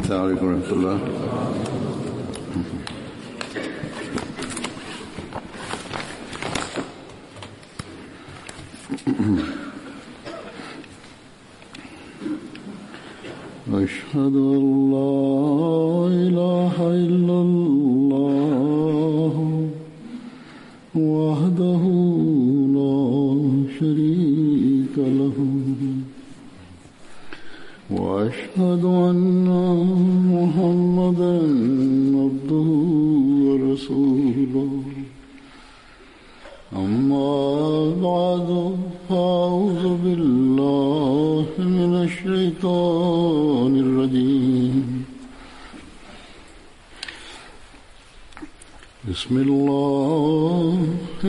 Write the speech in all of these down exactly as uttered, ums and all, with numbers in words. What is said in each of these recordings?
السلام عليكم ورحمة الله. أشهد أن لا إله إلا الله وحده لا شريك له وأشهد أن محمدا عبده ورسوله. أما بعد فأعوذ بالله من الشيطان الرجيم. بسم الله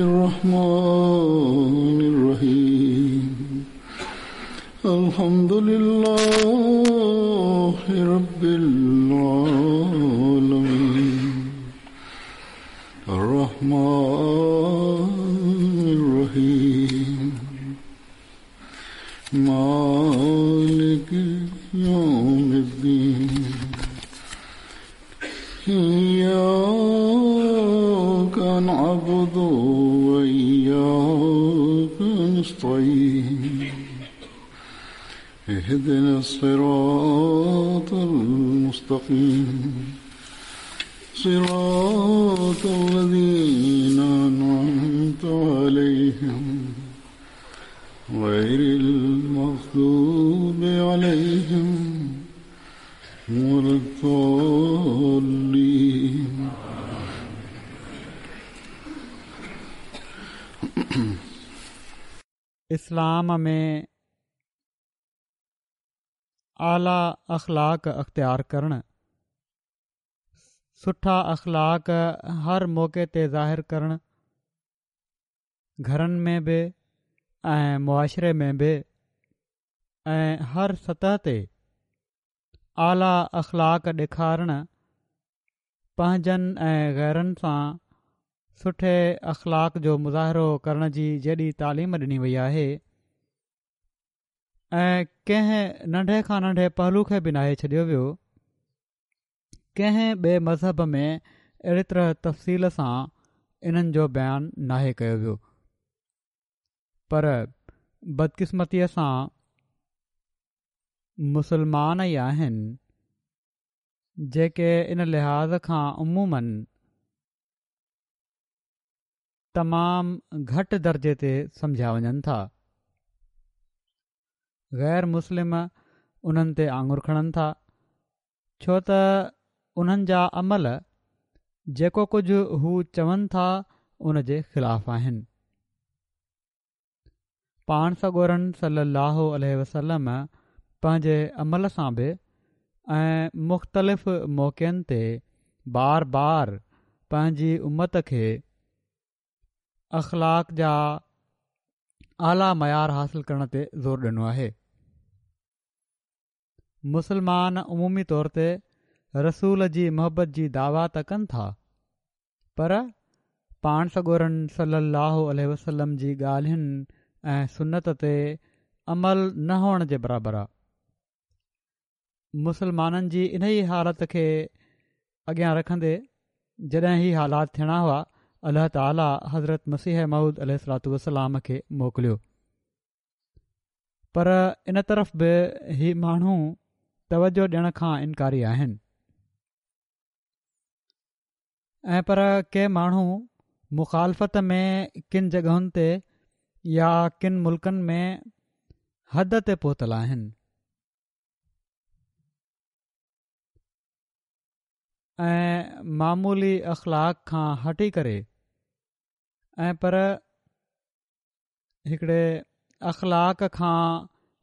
الرحمن الرحيم. الحمد لله رب العالمين الرحمن الرحيم مالك يوم الدين. إياك نعبد وإياك نستعين. اهدنا الصراط المستقيم صراط الذين أنعمت عليهم غير المغضوب عليهم ولا الضالين. اسلام ۾ اعليٰ اخلاق اختيار ڪرڻ، سٺا اخلاق هر موقعي تي ظاهر ڪرڻ، گهرن ۾ به ۽ معاشري ۾ به ۽ هر سطح تي اعليٰ اخلاق ڏيکارڻ، پنهنجن ۽ غيرن سان سٺي اخلاق جو مظاهرو ڪرڻ جي جيڏي تعليم ڏني وئي آهي ۽ ڪنهن ننڍي کان ننڍي پهلو کي به ناهي ڇڏيو ويو. ڪنهن ٻئي مذهب ۾ اهڙي طرح تفصيل سان انهن جو بيان ناهي ڪيو ويو، پر بدقسمتيءَ سان مسلمان ئي آهن جيڪي ان لحاظ کان عموماً تمام گهٽ درجي تي سمجهيا وڃن ٿا. غير مسلم انهن تي آڱر کڻن ٿا، ڇو ته انهن جا عمل جيڪو ڪجهه هو چون ٿا ان جي خلاف آهن. پاڻ سڳورن صلي الله عليه وسلم پنهنجي عمل سان به ۽ مختلف موقعن تي بار بار پنهنجي امت کي اخلاق جا اعليٰ معيار حاصل ڪرڻ تي زور ڏنو آهي. مسلمان عمومي طور تي رسول جي محبت جي دعويٰ ته ڪن ٿا، پر پاڻ سڳورن صلي الله عليه وسلم جي ڳالهين ۽ سنت تي عمل نه هئڻ جي برابر آ. مسلمانن جي انهي حالت کي اڳيان رکندي جڏهن هي حالات ٿيڻا هئا، الله تعاليٰ حضرت مسيح موعود عليه الصلوة والسلام کي موڪليو، پر ان طرف به هي ماڻهو توجه ڏيڻ کان انڪاري آهن ۽ پر ڪي ماڻهو مخالفت ۾ ڪن جڳهن تي يا ڪن ملڪن ۾ حد تي پهتل آهن ۽ معمولي اخلاق کان هٽي ڪري ۽ پر هڪڙي اخلاق کان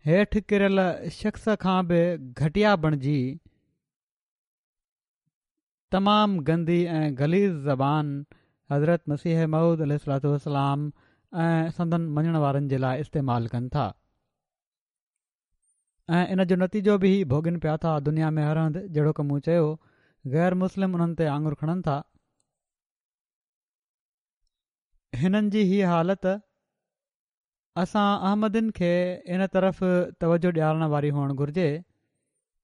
هيٺ ڪريل شخص کان به گهٽيا بڻجي تمام گندي ۽ غليظ زبان حضرت مسيح موعود عليه الصلوة والسلام ۽ سندن مڃڻ وارن جي لاءِ استعمال ڪن ٿا ۽ ان جو نتيجو به هي ڀوڳين پيا ٿا. دنيا ۾ هر هنڌ جهڙوڪ مون چيو غير مسلم انهن تي آڱر کڻن ٿا. هنن جي هي حالت اسان احمدين کي ان طرف توجه ڏيارڻ واري هئڻ گهرجي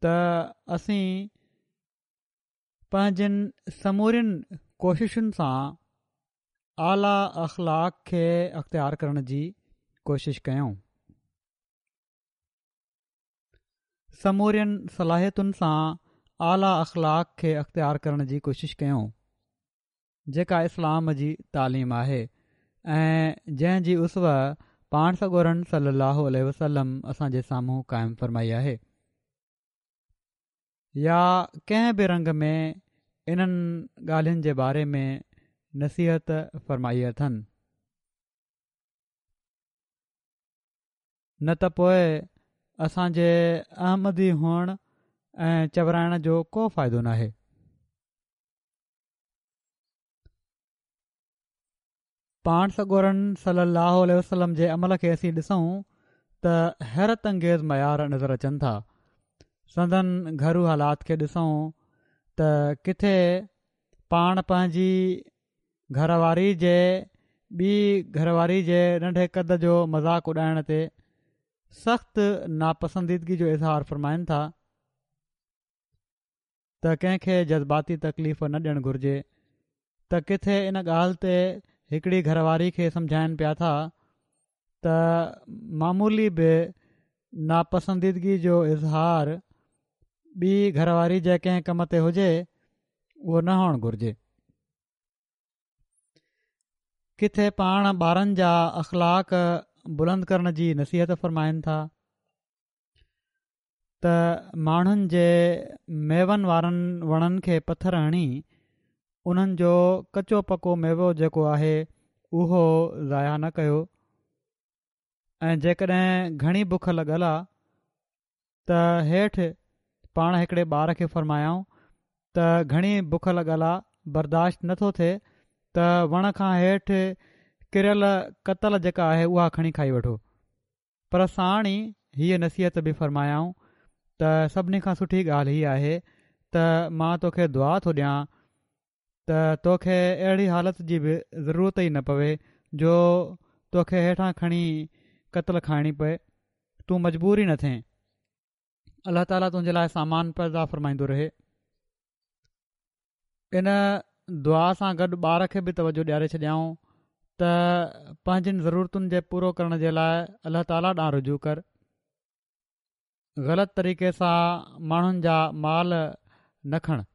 ته اسين پنهنجين سمورين ڪوششن سان اعليٰ اخلاق کي اختيار ڪرڻ جي ڪوشش ڪيون. سمورين صلاحيتن سان اعليٰ اخلاق کي اختيار ڪرڻ جي ڪوشش ڪيون، جيڪا اسلام جي تعليم آهي ۽ جنهن جي اسوه پاڻ سڳورن صلي الله عليه وسلم اسان جي سامهون قائم فرمائي آهي، يا ڪنهن به رنگ ۾ انهن ڳالهين جي باري ۾ نصيحت فرمائي اٿن. نه ته پوء اسان جي احمدي هئڻ ۽ چورائڻ جو ڪو فائدو ناهي. پاڻ سڳورن صلي الله عليه وسلم جي عمل کي اسين ڏسون ته حيرت انگيز معيار نظر اچن ٿا. سندن گهرو حالات کي ڏسون ته ڪٿي پاڻ پنهنجي گهر واري جي ٻي گهر واري جي ننڍي قد جو مذاق اڏائڻ تي سخت ناپسنديدگي جو اظهار فرمائن ٿا ته ڪنهن کي جذباتي تڪليف نه ڏيڻ گهرجي، ته ڪٿي ان ڳالهه تي هڪڙي گهر واري کي سمجهائن پيا ٿا ته معمولي به ناپسنديدگي جو اظهار ٻي گهر واري جي ڪنهن ڪم تي هجي اهو نه هئڻ گهرجي. ڪٿي پاڻ ٻارن جا اخلاق بلند ڪرڻ جي نصيحت فرمائن ٿا ته ماڻهن جي ميون وارن وڻن کي پٿر هڻي انهن جو ڪچو پڪو ميوو جيڪو آهي اهو ضايع نه ڪيو، ۽ جيڪڏهن گهڻي بک لڳل آ ته هيٺ پاڻ هڪڙي ٻار کي فرمايائون ته گهڻي بک لڳل آ، برداشت نٿو ٿئي ته وڻ کان هيٺ ڪريل ڪتل جيڪا آهي اها کڻي کائي وٺو. پر ساڻ ئي هيء نصيحت به فرمايائون ته سڀني کان سٺي ڳالهه هي آهي ته مان توکي دعا ٿو ڏيان ته توکي اهڙي حالت جي به ضرورت ئي نه پوي جو توکي هيٺان کڻي ڪتل کائڻي پئي، تون مجبور ئي نه ٿئين، الله تعاليٰ تنهنجي لاء سامان پيدا فرمائيندو رهي. ان دعا سان گڏ ٻار کي به توجه ڏياري ڇڏيائون ته پنهنجين ضرورتن جي پورو ڪرڻ جي لاء الله تعاليٰ ڏانهن رجوع ڪر، غلط طريقي سان ماڻهن جا مال نه کڻ.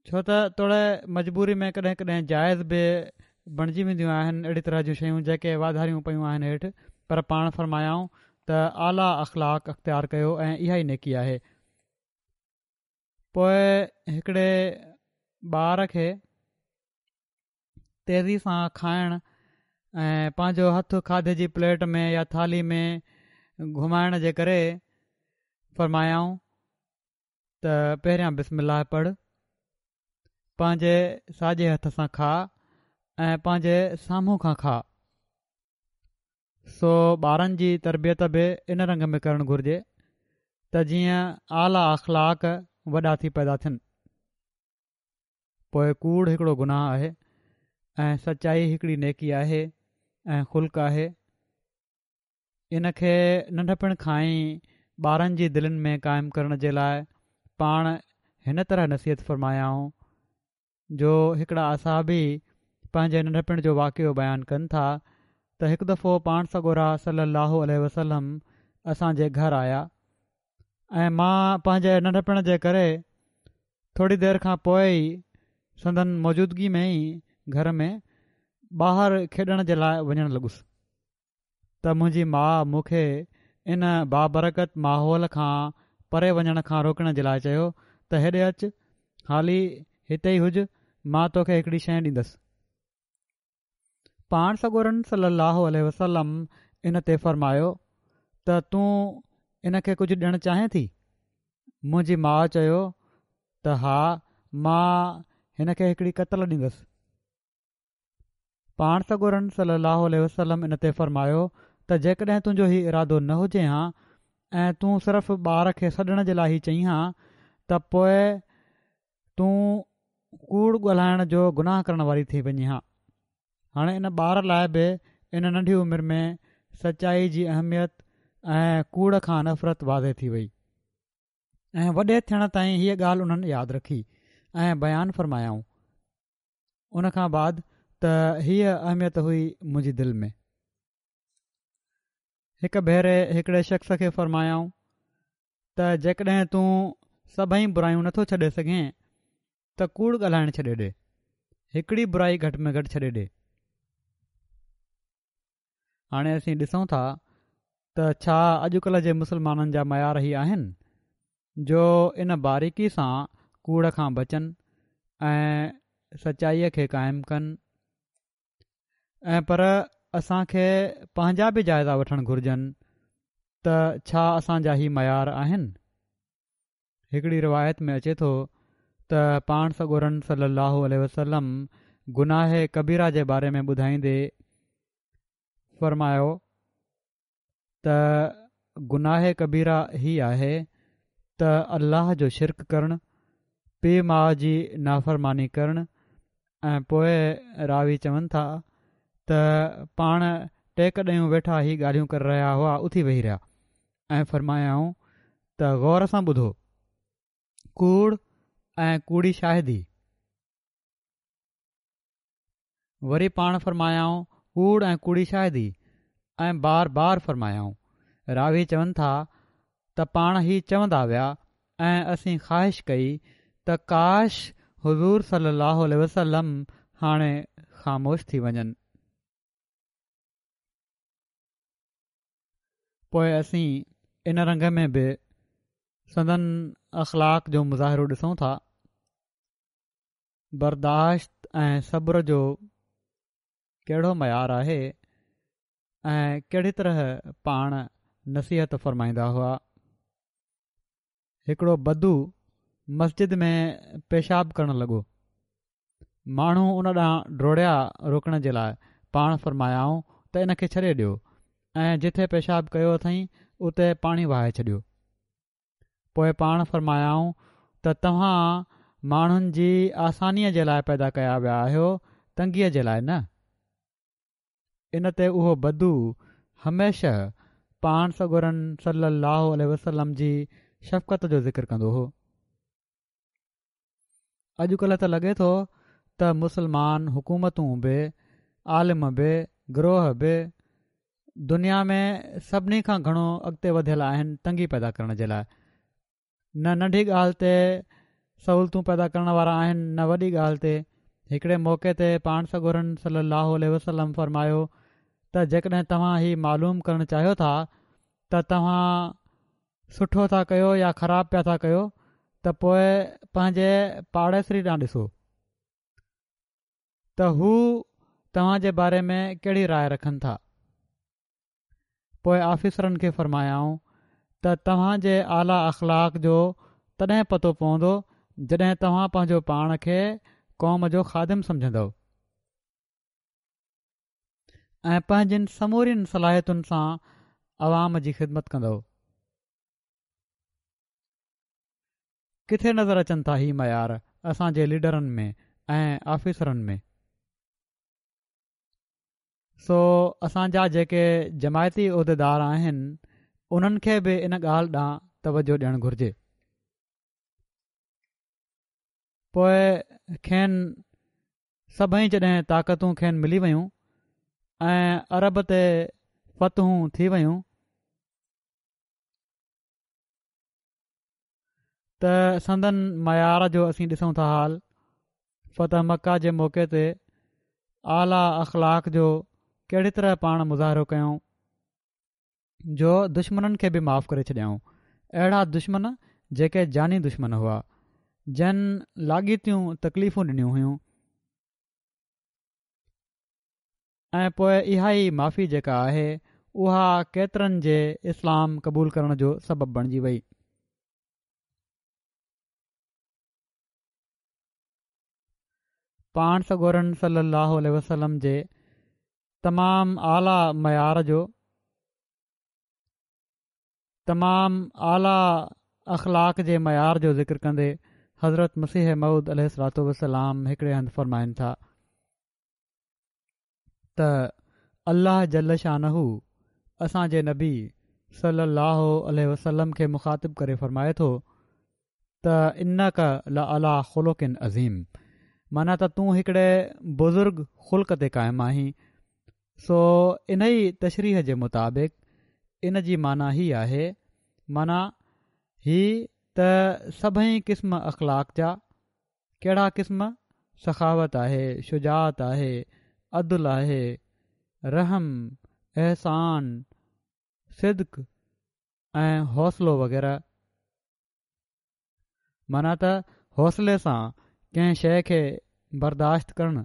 ڇو ته توڙي مجبوري ۾ ڪڏهن ڪڏهن جائز به بڻجي وينديون آهن اهڙي طرح جون شيون جيڪي واڌاريون پيون آهن هيٺ، پر پاڻ فرمايائون ته اعليٰ اخلاق اختيار ڪيو ۽ اها ئي نيڪي آهي. پوء هڪڙي ٻار کي تيزي سان کائڻ ۽ پنهنجو هٿ کاڌي جي پليٽ ۾ يا ٿالهي ۾ گهمائڻ جي ڪري فرمايائون ته پهريان بسم الله پڙهه، پنهنجي ساڄي هٿ سان کاء ۽ پنهنجي سامهون کان کاء. سو ٻارن جي تربيت به ان رنگ ۾ ڪرڻ گهرجي ته جيئن اعليٰ اخلاق وڏا ٿي پيدا ٿين. پوء ڪوڙ هڪڙو گناهه آهي ۽ سچائي هڪڙي نيڪي آهي ۽ خلق آهي. ان کي ننڍپڻ کان ئي ٻارن جي دلين ۾ قائم ڪرڻ جي لاء پاڻ هن طرح نصيحت فرمايائون جو هڪڙا اصحابي پنهنجي ننڍپڻ جو واقعو بيان ڪن ٿا ته هڪ دفعو پاڻ سڳورا صلي الله عليه وسلم اسان جي گهر آيا ۽ مان پنهنجي ننڍپڻ جي ڪري ٿوري دير کان پوء ئي سندن موجودگي ۾ ئي گهر ۾ ٻاهر کيڏڻ جي لاء وڃڻ لڳس ته منهنجي ماء مون کي ان بابرڪت ماحول کان پري وڃڻ کان روڪڻ جي لاء چيو ته هيڏي اچ، حالي هتي ئي هج، مان توکي هڪڙي شيء ڏيندس. پاڻ سڳورن صلي الله عليه وسلم ان تي فرمايو ته تون ان کي ڪجهه ڏيڻ چاهين ٿي؟ منهنجي ماء چيو ته ها، مان هن کي هڪڙي ڪتل ڏيندس. پاڻ سڳورن صلي الله عليه وسلم ان تي فرمايو ته جيڪڏهن تنهنجو هي ارادو نه هجي ها ۽ تون صرف ٻار کي سڏڻ جي لاء هي چئين ها ته پوء تون ڪوڙ ڳالهائڻ جو گناهه ڪرڻ واري ٿي وڃين ها. هاڻي ان ٻار لاء به ان ننڍي عمر ۾ سچائي جي اهميت ۽ ڪوڙ کان نفرت واضح ٿي وئي ۽ وڏي ٿيڻ تائين هيء ڳالهه انهن ياد رکي ۽ بيان فرمايائون ان کان بعد ته هيء اهميت هئي منهنجي دل ۾. هڪ ڀيري هڪڙي شخص کي فرمايائون ته جيڪڏهن تون سڀئي برايون نٿو ڇڏي سگهين ته ڪوڙ ڳالهائڻ ڇڏي ڏي، هڪڙي برائي گهٽ ۾ گهٽ ڇڏي ڏي. هاڻي اسين ڏسون ٿا ته ڇا اڄڪلهه جي مسلمانن جا معيار هي آهن جو ان باريڪي سان ڪوڙ کان بچن ۽ سچائيء کي قائم ڪن ۽ پر اسان کي پنهنجا به جائزا وٺڻ گهرجن ته ڇا اسان جا هي معيار آهن. هڪڙي روايت ۾ اچي ٿو ته پاڻ سڳورن صلي الله عليه وسلم گناهه ڪبيره جي باري ۾ ٻڌائيندي فرمايو ته گناهه ڪبيره هي آهي ته الله جو شرڪ ڪرڻ، پيء ماء جي نافرماني ڪرڻ ۽ پوء راوي چون ٿا ته پاڻ ٽيڪ ڏيون ويٺا هي ڳالهيون ڪري رهيا هئا اٿي ويهي رهيا ۽ فرمايائون ته غور سان ٻڌو، ڪوڙ ۽ ڪوڙي شاهدي. وري پاڻ فرمايائون ڪوڙ ۽ ڪوڙي شاهدي ۽ بار بار فرمايائون. راوي چون ٿا ته پاڻ هي چوندا ويا ۽ اسين خواهش ڪئي ته ڪاش حضور صلي الله عليه وسلم هاڻي خاموش ٿي وڃن. پوء اسين ان رنگ ۾ به سندن اخلاق جو مظاهرو ڏسون ٿا. برداشت ۽ صبر جو ڪهڙو معيار آهي ۽ ڪهڙي طرح پاڻ نصيحت فرمائيندا هئا. هڪڙو بدو مسجد ۾ پيشاب ڪرڻ لڳو، ماڻهو ان ڏانهن ڊوڙيا روڪڻ جي لاء، پاڻ فرمايائون ته ان کي ڇڏي ڏيو ۽ جٿي پيشاب ڪيو اٿئين اتي پاڻي وهائي ڇڏيو. پوء پاڻ فرمايائون ته توهان ماڻهن جي آسانيء جي لاء پيدا ڪيا ويا آهيو، تنگيء جي لاء نه. ان تي اهو بدو هميشه پاڻ سڳورن صلي الله عليه وسلم جي شفقت جو ذڪر ڪندو هو. اڄڪلهه ته لڳي ٿو ته مسلمان حڪومتون به، عالم به، گروهه به دنيا ۾ سڀني کان گهڻو اڳتي وڌيل آهن تنگي پيدا ڪرڻ جي لاء. نه ننڍي ڳالهه تي سهولتون پيدا ڪرڻ وارا آهن نه وڏي ڳالهه تي. هڪڙي موقعي تي پاڻ سڳورن صلي الله عليه وسلم فرمايو ته جيڪڏهن توهان هي معلوم ڪرڻ چاهيو ٿا ته توهان سٺو ٿا ڪيو يا خراب پيا ٿا ڪيو ته پوء پنهنجي پاڙيسري ڏانهن ڏسو ته هو توهان جي باري ۾ ڪهڙي راء رکن ٿا. پوء آفيسرن کي فرمايائون ته توهان جي اعليٰ اخلاق جو تڏهن پتو پوندو جڏهن توهان پنهنجو پاڻ کي قوم جو خادم سمجهندؤ ۽ پنهنجين سمورين صلاحيتن سان عوام جي خدمت ڪندؤ. ڪٿي نظر اچن ٿا هي معيار اسان جي ليڊرن ۾ ۽ آفيسرن ۾؟ سو اسان جا جيڪي جماعتي عهديدار آهن انهن کي به ان ڳالهه ڏانهن توجه ڏيڻ گهرجي. پوء کين سڀئي جڏهن طاقتون کين ملي ويون ۽ عرب تي فتحون ٿي ويون ته سندن معيار جو اسين ڏسون ٿا حال. فتح مڪه جي موقعي تي اعليٰ اخلاق جو ڪهڙي طرح پاڻ مظاهرو ڪيائون جو دشمنن کي به معاف ڪري ڇڏيائون، اهڙا دشمن جيڪي جاني دشمن هئا، جن لاڳيتيون تڪليفون ڏنيون هيون ۽ پوء اها ئي معافي جيڪا آهي اها ڪيترن جي اسلام قبول ڪرڻ جو سبب بڻجي وئي. پاڻ سڳورن صلي الله عليه وسلم جي تمام اعليٰ معيار جو، تمام اعليٰ اخلاق جي معيار جو ذڪر ڪندي حضرت مسيح موعود عليه الصلوٰة والسلام هڪڙي هنڌ فرمائن ٿا ته الله جل شانه اسان جي نبي صلي الله عليه وسلم کي مخاطب ڪري فرمائي ٿو ته انڪ لعليٰ خلق عظيم، معنيٰ ته تون هڪڙي بزرگ خلق تي قائم آهين. سو انهي تشريح جي مطابق ان جي معنيٰ هي آهي، معنيٰ هي ته سڀئي قسم اخلاق جا، ڪهڙا قسم؟ سخاوت آهي، شجاعت آهي، عدل آهي، رحم، احسان، صدق ۽ حوصلو وغيره. معنيٰ ته حوصلي سان ڪنهن شيء کي برداشت ڪرڻ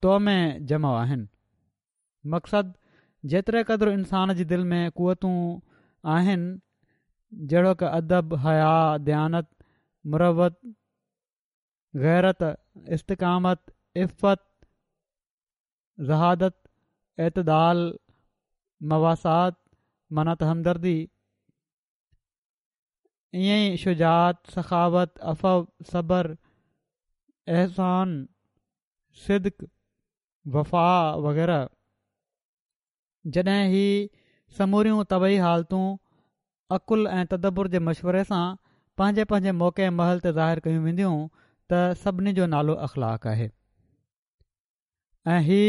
تو ۾ جمع آهن. مقصد جيتري قدر انسان جي دل ۾ قوتون آهن، جهڙوڪ ادب، حيا، ديانت، مروت، غيرت، استقامت، عفت، زهادت، اعتدال، مواسات معنيٰ ته همدردي، ائين ئي شجاعت، سخاوت، عفو، صبر، احسان، صدق، وفا وغيره. جڏهن هي سموريون طبعي حالتون عقل ۽ تدبر جي مشوري سان پنهنجي پنهنجي موقعي ۽ محل تي ظاهر ڪيون وينديون ته سڀني جو نالو اخلاق آهي ۽ هي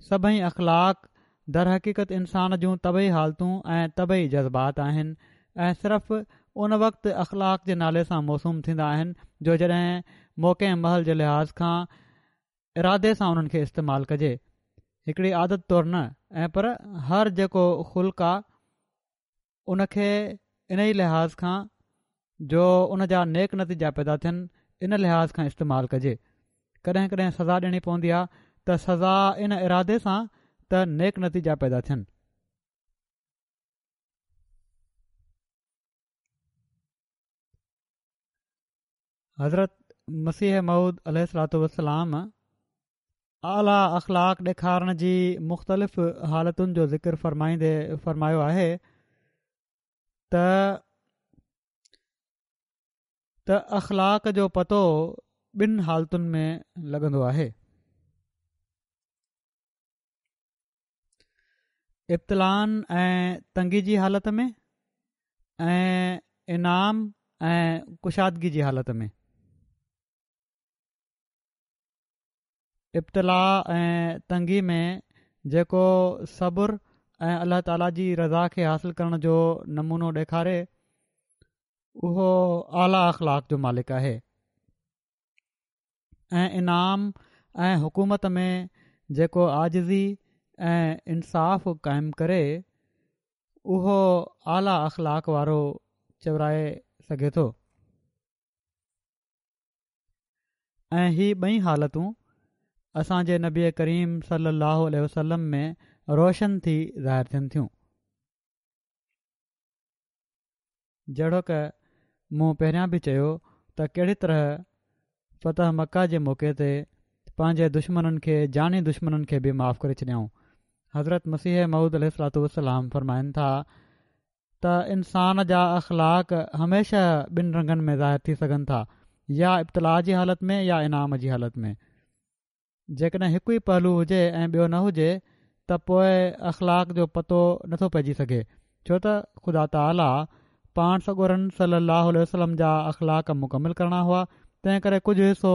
سڀئي اخلاق در حقيقت انسان جون طبعي حالتون ۽ طبعي جذبات آهن ۽ صرف ان وقت اخلاق جي نالي سان موسوم ٿيندا آهن جو جڏهن موقعي ۽ محل جي لحاظ کان ارادي سان انهن کي استعمال ڪجي، هڪڙي عادت طور نه، ۽ پر هر جيڪو خلق آ ان کي انهي لحاظ کان جو ان جا نيڪ نتيجا پيدا ٿين ان لحاظ کان استعمال ڪجي. ڪڏهن ڪڏهن سزا ڏيڻي پوندي آ ته سزا ان ارادي سان ته نيڪ نتيجا پيدا ٿين. حضرت مسيح موعود عليه الصلوة والسلام اعليٰ اخلاق ڏيکارڻ جي مختلف حالتن جو ذڪر فرمائيندي فرمايو آهي ته ته اخلاق جو پتو ٻن حالتن ۾ لڳندو آهي. ابتلائن ۽ تنگي جي حالت ۾ ۽ انعام ۽ ڪشادگي جي حالت ۾. ابتلاء ۽ تنگي ۾ جيڪو صبر ۽ الله تعاليٰ جي رضا کي حاصل ڪرڻ جو نمونو ڏيکاري اهو اعليٰ اخلاق جو مالڪ آهي ۽ انعام ۽ حڪومت ۾ جيڪو عاجزي ۽ انصاف قائم ڪري اهو اعليٰ اخلاق وارو چورائي سگهي ٿو ۽ هي ٻئي حالتون اسان جي نبي ڪريم صلي الله عليه وسلم ۾ روشن ٿي ظاهر ٿين ٿيون. جهڙوڪ مون پهريان به چيو ته ڪهڙي طرح فتح مڪه جي موقعي تي پنهنجي دشمنن کي جاني دشمنن کي به معاف ڪري ڇڏيائون. حضرت مسيح موعود عليه الصلوة والسلام فرمائن ٿا ته انسان جا اخلاق هميشه ٻن رنگن ۾ ظاهر ٿي سگهن ٿا، يا ابتلاء جي حالت ۾ يا انعام جي حالت ۾. جيڪڏهن هڪ ئي پهلو هجي ۽ ٻيو نه هجي ته پوء اخلاق جو پتو نٿو پئجي سگهي، ڇو ته خدا تعاليٰ پاڻ سڳورن صلي الله عليه وسلم جا اخلاق مڪمل ڪرڻا هئا، تنهن ڪري ڪجهه حصو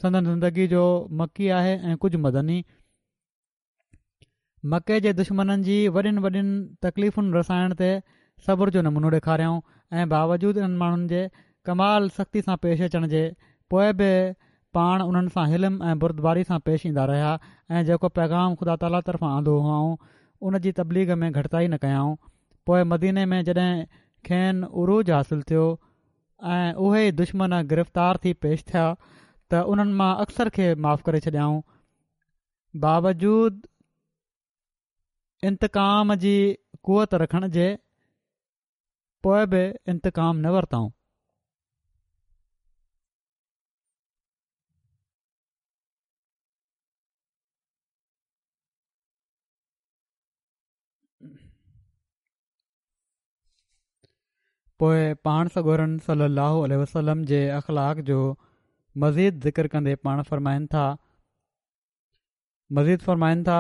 سندن زندگي جو مڪي آهي ۽ ڪجهه مدني. مڪي جي دشمنن جي وڏين وڏين تڪليفن رسائڻ تي صبر جو نمونو ڏيکاريائون ۽ باوجود انهن ماڻهن جي ڪمال سختي سان پيش اچڻ جي پوء به پاڻ انهن سان حلم ۽ بردباري سان پيش ايندا رهيا ۽ جيڪو پيغام خدا تعاليٰ طرفان آندو هئائون ان جي تبليغ ۾ گهٽتائي نه ڪيائون. پوء مديني ۾ جڏهن کين عروج حاصل ٿيو ۽ اهي ئي دشمن گرفتار ٿي پيش ٿيا ته انهن مان اڪثر کي معاف ڪري ڇڏيائون باوجود انتقام جي قوت رکڻ جي پوء به انتقام نه ورتائون. پوء پاڻ سڳورن صلي الله عليه وسلم جي اخلاق جو مزيد ذڪر ڪندي پاڻ فرمائن ٿا مزيد فرمائن ٿا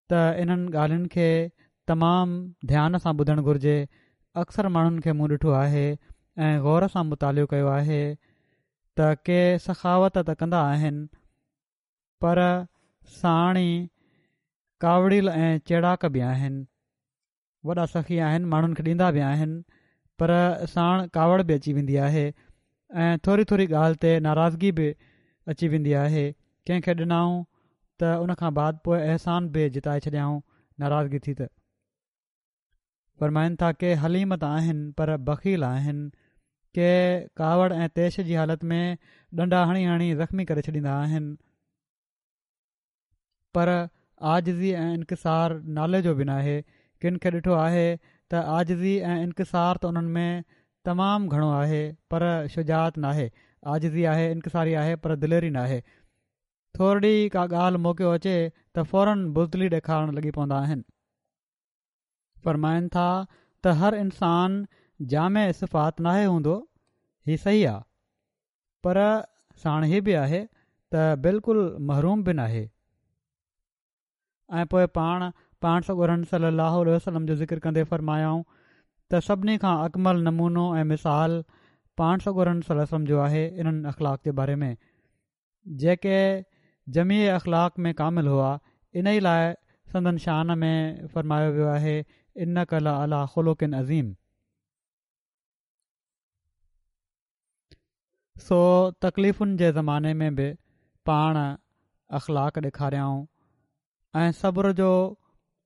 ته انهن ڳالهين کي تمام ڌيان سان ٻڌڻ گهرجي. اڪثر ماڻهن کي مون ڏٺو آهي ۽ غور سان مطالعو ڪيو آهي ته ڪي سخاوت ته ڪندا آهن پر ساڻ ئي ڪاوڙيل ۽ چيڙاڪ به آهن. وڏا سخي آهن، ماڻهن کي ڏيندا به آهن پر ساڻ ڪاوڙ به اچي ويندي آهي ۽ ٿوري ٿوري ڳالهه تي ناراضگي به اچي ويندي آهي. ڪنهن کي ڏنائون ته ان کان بعد پوء احسان به جتائي ڇڏيائون ناراضگي ٿي ته. فرمائن ٿا ڪي حليم ته آهن پر بخيل آهن، ڪي ڪاوڙ ۽ طيش جي حالت ۾ ڏنڊا هڻي هڻي زخمي ڪري ڇڏيندا آهن پر عاجزي ۽ انڪسار نالي جو به ناهي. ڪن کي ڏٺو آهي ته عاجزي ۽ انڪسار ته انهن ۾ تمام گهڻو آهي پر شجاعت ناهي. عاجزي آهي، انڪساري آهي پر دليري ناهي. ٿورڙي ڪا ڳالهه موقعو اچي ته فورن بزدلي ڏيکارڻ لڳي پوندا آهن. فرمائن ٿا ته هر انسان جامع صفات ناهي هوندو، هي صحيح آ پر ساڻ هي به آهي ته بلڪل محروم به ناهي. ۽ پوء پاڻ پاڻ سڳورن صلي الله عليه وسلم جو ذڪر ڪندي فرمايائون ته سڀني کان اڪمل نمونو ۽ مثال پاڻ سڳورن صلي الله عليه وسلم جو آهي انهن اخلاق جي باري ۾ جيڪي جميع اخلاق ۾ ڪامل هئا، انهي لاء سندن شان ۾ فرمايو ويو آهي انڪ لعليٰ خلق عظيم. سو تڪليفن جي زماني ۾ به پاڻ اخلاق ڏيکاريائون ۽ صبر جو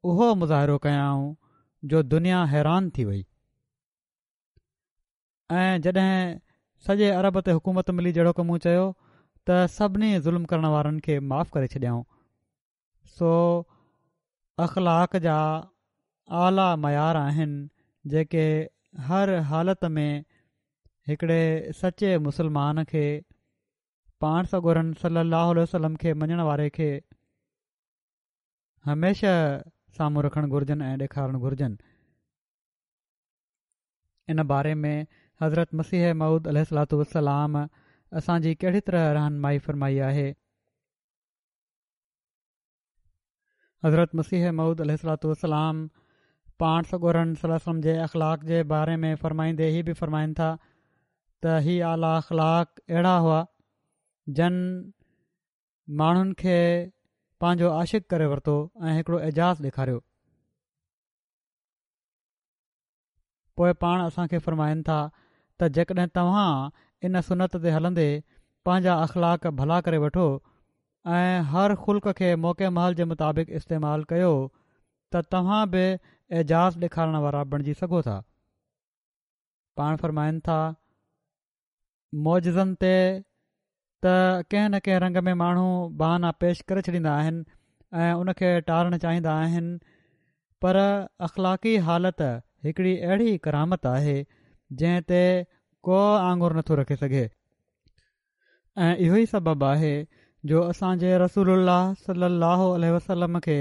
اهو مظاهرو ڪيائون جو دنيا حيران ٿي وئي ۽ جڏهن سڄي عرب تي حڪومت ملي جهڙوڪ مون چيو ته سڀني ظلم ڪرڻ وارن کي معاف ڪري ڇڏيائون. سو اخلاق جا اعليٰ معيار آهن جيڪي هر حالت ۾ هڪڙي سچي مسلمان کي پاڻ سڳورن صلي الله عليه وسلم کي مڃڻ واري کي هميشه سامهون رکڻ گهرجن ۽ ڏيکارڻ گهرجن. ان باري ۾ حضرت مسيح موعود عليه الصلوة والسلام اسان جي ڪهڙي طرح رهنمائي فرمائي آهي. حضرت مسيح موعود عليه الصلوة والسلام پاڻ سڳورن صلي الله عليه وسلم جي اخلاق جي باري ۾ فرمائيندي هي به فرمائن ٿا ته هي اعليٰ اخلاق اهڙا هئا جن ماڻهن کي پنهنجو عاشق ڪري ورتو ۽ هڪڙو اعجاز ڏيکاريو. پوء پاڻ اسان کي فرمائن ٿا ته جيڪڏهن توهان ان سنت تي هلندي پنهنجا اخلاق ڀلا ڪري وٺو ۽ هر خلق کي موقع محل جي مطابق استعمال ڪيو ته توهان به اعجاز ڏيکارڻ وارا بڻجي سگهو ٿا. پاڻ فرمائن ٿا معجزن تي ته ڪنهن نه ڪنهن رنگ ۾ ماڻهو بهانا پيش ڪري ڇڏيندا آهن ۽ ان کي ٽارڻ چاهيندا آهن پر اخلاقي حالت هڪڙي اهڙي ڪرامت آهي جنهن تي ڪو آڱر نٿو رکي سگهي ۽ اهو ئي سبب آهي جو اسان جي رسول الله صلي الله عليه وسلم کي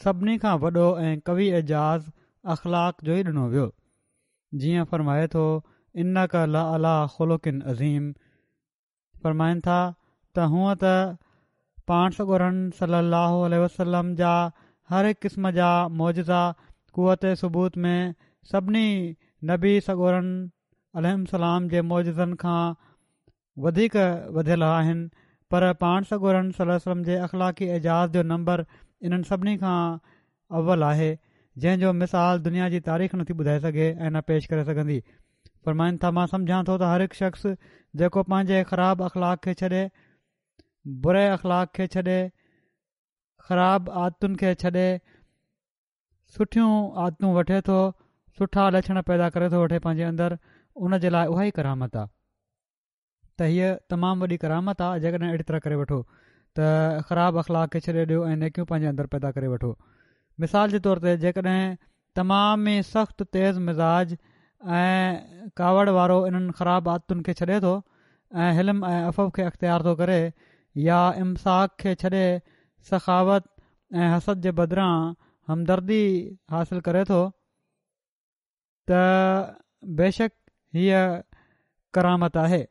سڀني کان وڏو ۽ قوي اعجاز اخلاق جو ئي ڏنو ويو جيئن فرمائي ٿو انڪ لعليٰ خلق عظيم. فرمائن ٿا ته هونء ته پاڻ سڳورن صلي الله عليه وسلم جا هر هڪ قسم جا معجزا قوت ثبوت ۾ سڀني نبي سڳورن عليهم السلام جي معجزن کان وڌيڪ وڌيل آهن پر پاڻ سڳورن صلي الله عليه وسلم جي اخلاقي اعجاز جو نمبر انهن سڀني کان اول آهي جنهن جو مثال دنيا جي تاريخ نٿي ٻڌائي سگهي ۽ نه پيش ڪري سگهندي. فرمائن ٿا مان سمجهان ٿو ته هر هڪ شخص جيڪو پنهنجي خراب اخلاق کي ڇڏي، بري اخلاق کي ڇڏي، خراب عادتن کي ڇڏي، سٺيون عادتون وٺي ٿو، سٺا لڇڻ پيدا ڪري ٿو وٺي پنهنجي اندر، ان جي لاء اها ئي ڪرامت آ. ته هيء تمام وڏي ڪرامت آ جيڪڏهن اهڙي طرح ڪري وٺو ته خراب اخلاق کي ڇڏي ڏيو ۽ نيڪيون پنهنجي اندر پيدا ڪري وٺو. مثال جي طور تي جيڪڏهن تمام ئي سخت تيز مزاج ۽ ڪاوڙ وارو انهن خراب عادتن کي ڇڏي ٿو ۽ حلم ۽ عفو کي اختيار ٿو ڪري يا امساڪ کي ڇڏي سخاوت ۽ حسد جي بدران همدردي حاصل ڪري ٿو ته بيشڪ هيء ڪرامت آهي.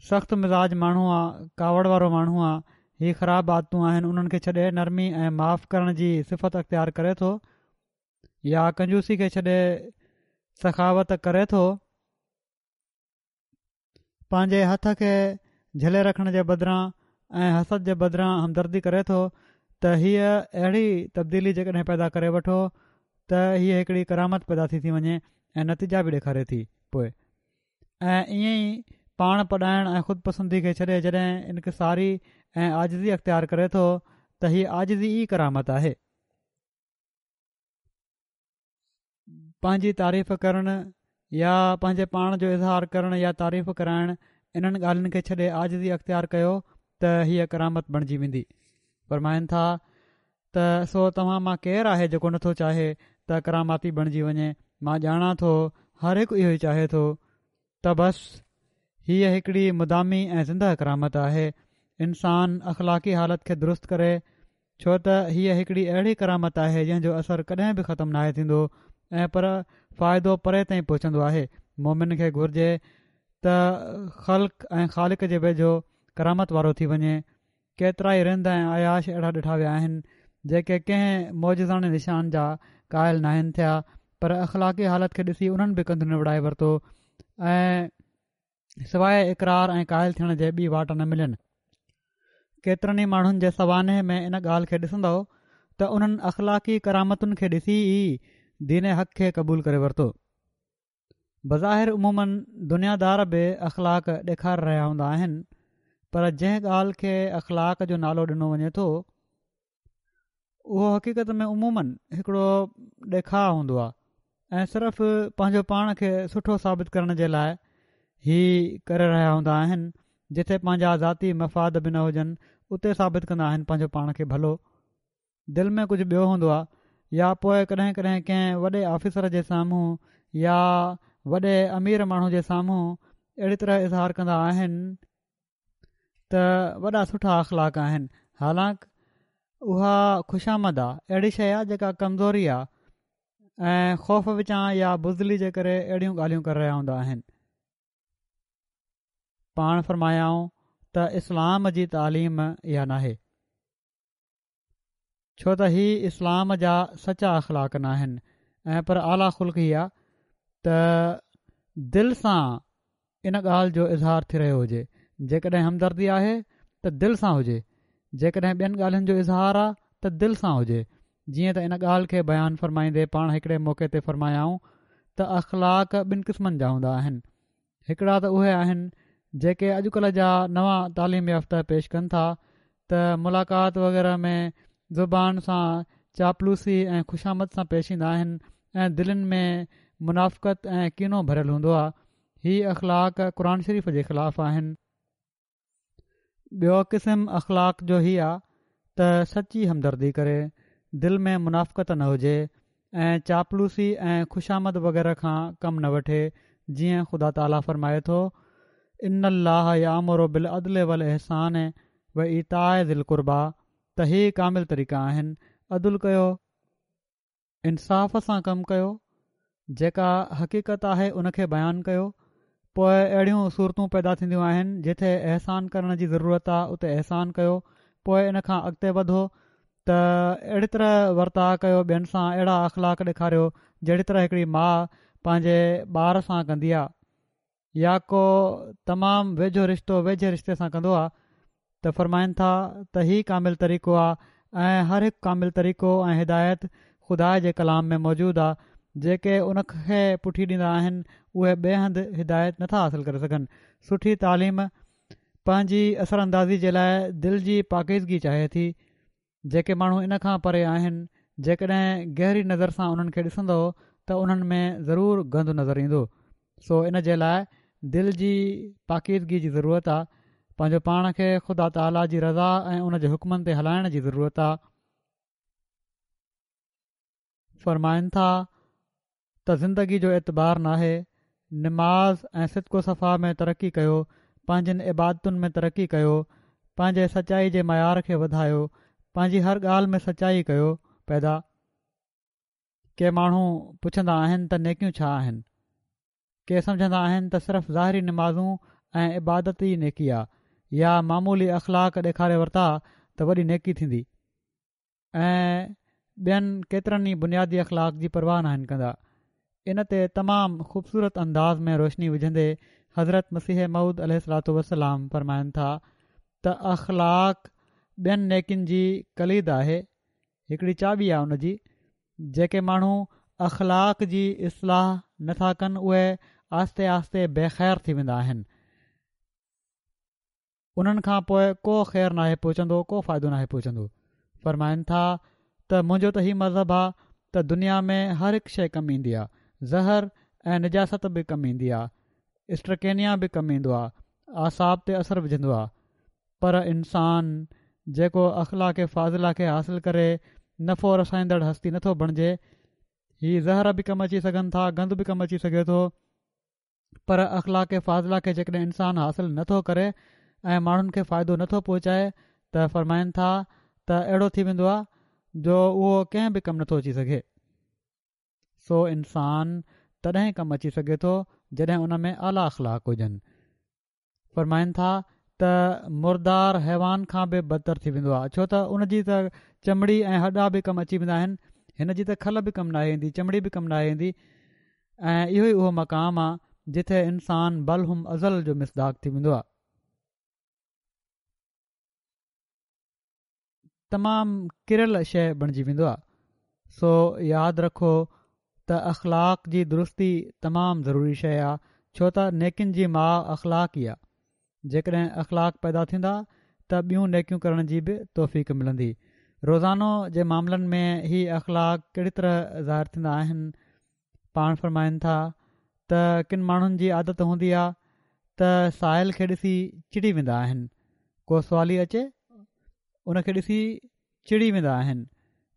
سخت مزاج ماڻهو آ، ڪاوڙ وارو ماڻهو آ، هي خراب عادتون آهن انهن کي ڇڏي نرمي ۽ معاف ڪرڻ جي صفت اختيار ڪري ٿو يا ڪنجوسي کي ڇڏي سخاوت ڪري ٿو، پنهنجي هٿ کي جهلي رکڻ جي بدران ۽ حسد جي بدران همدردي ڪري ٿو ته هيء اهڙي تبديلي جيڪڏهن پيدا ڪري وٺو ته هيء هڪڙي ڪرامت پيدا ٿي ٿي وڃي ۽ نتيجا به ڏيکاري ٿي. پوء ۽ ائين ئي پاڻ پڏائڻ ۽ خود پسندي کي ڇڏي جڏهن انڪساري ۽ عاجزي اختيار ڪري ٿو ته هيء عاجزي ئي ڪرامت آهي. پنهنجي تعريف ڪرڻ يا پنهنجي پاڻ جو اظهار ڪرڻ يا تعريف ڪرائڻ انهن ڳالهين کي ڇڏي عاجزي اختيار ڪيو ته هيء ڪرامت بڻجي ويندي. فرمائن ٿا ته سو توهان مان ڪير آهي جيڪو نٿو چاهي ته ڪراماتي بڻجي وڃي؟ مان ڄاڻان ٿو هر هڪ اهو ئي چاهي ٿو ته بس هيء هڪڙي مدامي ۽ زندهه ڪرامت آهي. انسان اخلاقي حالت کي درست ڪري ڇو ته هيء هڪڙي اهڙي ڪرامت آهي جنهن جو اثر ڪڏهن به ختم ناهي ٿيندو ۽ پر فائدو پري تائين پهچندو آهي. مومن کي گهرجي ته خلق ۽ خالق جي ويجهو ڪرامت وارو ٿي وڃي. ڪيترائي رند ۽ عياش اهڙا ڏٺا ويا آهن جيڪي ڪنهن معجزاڻي نشان جا قائل ناهن ٿيا پر اخلاقي حالت کي ڏسي انهن به ڪنڌ نوڙائي ورتو ۽ سواء اقرار ۽ قائل ٿيڻ جي ٻي واٽ نه ملين. ڪيترن ئي ماڻهن جي سوانح ۾ ان ڳالهه کي ڏسندؤ ته انهن اخلاقي ڪرامتن کي ڏسي ئي دين حق کي قبول ڪري ورتو. بظاهر عموماً دنيادار به اخلاق ڏيکاري رهيا هوندا آهن پر جنهن ڳالهه کي اخلاق جو نالو ڏنو وڃي ٿو اهو حقيقت ۾ عموماً هڪڙو ڏيکاء هوندو آهي ۽ صرف پنهنجو پاڻ کي سٺو ثابت ڪرڻ جي لاء هي ڪري رهيا هوندا آهن. جتي پنهنجا ذاتي مفاد به نه هجن اتي ثابت ڪندا آهن پنهنجو پاڻ کي ڀلو. دل ۾ ڪجهه ٻيو هوندو آهي يا پوء ڪڏهن ڪڏهن ڪنهن وڏي آفيسر جي سامهون يا وڏي امير ماڻهو جي سامهون اهڙي طرح اظهار ڪندا آهن ته وڏا سٺا اخلاق آهن، حالانڪ اها خوشامد آ، اهڙي شيء آ جيڪا ڪمزوري آ ۽ خوف وچان يا بزدلي جي ڪري اهڙيون ڳالهيون ڪري رهيا هوندا آهن. پاڻ فرمايائون ته اسلام جي تعليم اها ناهي، ڇو ته هي اسلام جا سچا اخلاق ناهن ۽ پر اعليٰ خلق هي آ ته دل سان ان ڳالهه جو اظهار ٿي رهيو هجي، جيڪڏهن همدردي آهي ته دل سان هجي، جيڪڏهن ٻين ڳالهين جو اظهار آ ته دل سان هجي. جيئن ته ان ڳالهه کي بيان فرمائيندي پاڻ هڪڙي موقعي تي فرمايائون ته اخلاق ٻن قسمن جا هوندا آهن، هڪڙا ته اهي آهن جيڪي اڄڪلهه جا نوان تعليم يافته پيش ڪن ٿا ته ملاقات وغيره ۾ زبان سان چاپلوسي ۽ خوشامد سان پيش ايندا آهن ۽ دلين ۾ منافقت ۽ ڪينو ڀريل هوندو آهي. هي اخلاق قرآن شريف جي خلاف آهن. ٻيو قسم اخلاق جو هي آ ته سچي همدردي ڪري، دل ۾ منافقت نه هجي ۽ چاپلوسي ۽ خوشامد وغيره کان ڪم نه وٺي، جيئن خدا تعاليٰ فرمائي ٿو، ان الله يامر بالعدل والاحسان وايتاء ذي القربيٰ ته هي ڪامل طريقا آهن، عدل ڪيو، انصاف سان ڪم ڪيو، جيڪا حقيقت آهي ان کي بيان ڪيو، پوء اهڙيون صورتون پيدا ٿينديون آهن جتي احسان ڪرڻ جي ضرورت آ اتي احسان ڪيو، پوء ان کان اڳتي وڌو ته اهڙي طرح ورتاء ڪيو، ٻين سان اهڙا اخلاق ڏيکاريو جهڙي طرح هڪڙي ماء پنهنجي ٻار سان ڪندي آ يا ڪو تمام ويجهو رشتو ويجهي رشتي سان ڪندو آ ته فرمائن ٿا ته هي ڪامل طريقو آ ۽ هر هڪ ڪامل طريقو ۽ هدايت خدا جي ڪلام ۾ موجود آ، جيڪي ان کي پٺي ڏيندا آهن اهي ٻئي هنڌ هدايت نٿا حاصل ڪري سگهن. سٺي تعليم پنهنجي اثر اندازي جي لاء دل جي پاڪيزگي چاهي ٿي، جيڪي ماڻهو ان کان پري آهن جيڪڏهن گهري نظر سان انهن کي ڏسندؤ ته انهن ۾ ضرور گند نظر ايندو. سو ان جي لاء دل جي پاڪيزگي جي ضرورت آ، پنهنجو پاڻ کي خدا تعاليٰ جي رضا ۽ ان جي حڪمن تي هلائڻ جي ضرورت آ. فرمائن ٿا ته زندگي جو اعتبار ناهي، نماز ۽ صدق و صفا ۾ ترقي ڪيو، پنهنجين عبادتن ۾ ترقي ڪيو، پنهنجي سچائي جي معيار کي وڌايو، پنهنجي هر ڳالهه ۾ سچائي ڪيو. پيدا ڪي ماڻهو پڇندا آهن ته نيڪيون ڇا آهن؟ ڪي سمجهندا آهن ته صرف ظاهري نمازون ۽ عبادت ئي نيڪي آ يا معمولي اخلاق ڏيکاري ورتا ته وڏي نيڪي ٿيندي ۽ ٻين ڪيترن ئي بنيادي اخلاق جي پرواهه ناهن ڪندا. ان تي تمام خوبصورت انداز ۾ روشني وجهندي حضرت مسيح موعود عليه الصلوة والسلام فرمائن ٿا ته اخلاق ٻين نيڪين جي ڪليد آهي، هڪڙي چاٻي آهي ان جي. جيڪي ماڻهو اخلاق جي اصلاح نٿا ڪن اهي آهستي آهستي بي خير ٿي ويندا آهن، انهن کان پوء ڪو خير ناهي پهچندو، ڪو فائدو ناهي پهچندو. فرمائن ٿا ته منهنجو ته هي مذهب آ ته دنيا ۾ هر هڪ شيء ڪم ايندي آ، زهر ۽ نجاست به ڪم ايندي آ، اسٽرڪينيا به ڪم ايندو آ، اعصاب تي اثر وجهندو آ، پر انسان جيڪو اخلاق فاضله کي حاصل ڪري نفعو رسائيندڙ هستي نٿو بڻجي. هي زهر به ڪم اچي سگهن ٿا، گند به ڪم اچي سگهي ٿو، پر اخلاق فاضله کي جيڪڏهن انسان حاصل نٿو ڪري ۽ ماڻهن کي فائدو نٿو پهچائي ته فرمائن ٿا ته اهڙو ٿي ويندو آهي جو اهو ڪنهن به ڪم نٿو اچي سگهي. سو انسان تڏهن ڪم اچي سگهي ٿو جڏهن ان ۾ اعليٰ اخلاق هجن. فرمائن ٿا ته مردار حيوان کان به بدتر ٿي ويندو آهي، ڇو ته ان جي ته چمڙي ۽ هڏا به ڪم اچي ويندا آهن، هن جي ته کل به ڪم ناهي ايندي، چمڙي به ڪم ناهي ايندي. ۽ اهو ئي اهو مقام آهي جتي انسان بل هم اضل جو مصداق ٿي ويندو آهي. تمام ڪريل شيء بڻجي ويندو آهي. سو ياد رکو ته اخلاق جي درستي تمام ضروري شيء آهي، ڇو ته نيڪين جي ماء اخلاق ئي آهي. جيڪڏهن اخلاق پيدا ٿيندا ته ٻيون نيڪيون ڪرڻ جي به توفيق ملندي. روزانو جي معاملن ۾ هي اخلاق ڪهڙي طرح ظاهر ٿيندا آهن؟ پاڻ فرمائن ٿا ته ڪن ماڻهن جي عادت هوندي آهي ته سائل کي ڏسي چڙي ويندا آهن، ڪو سوالي اچي ان کي ڏسي چڙي ويندا آهن،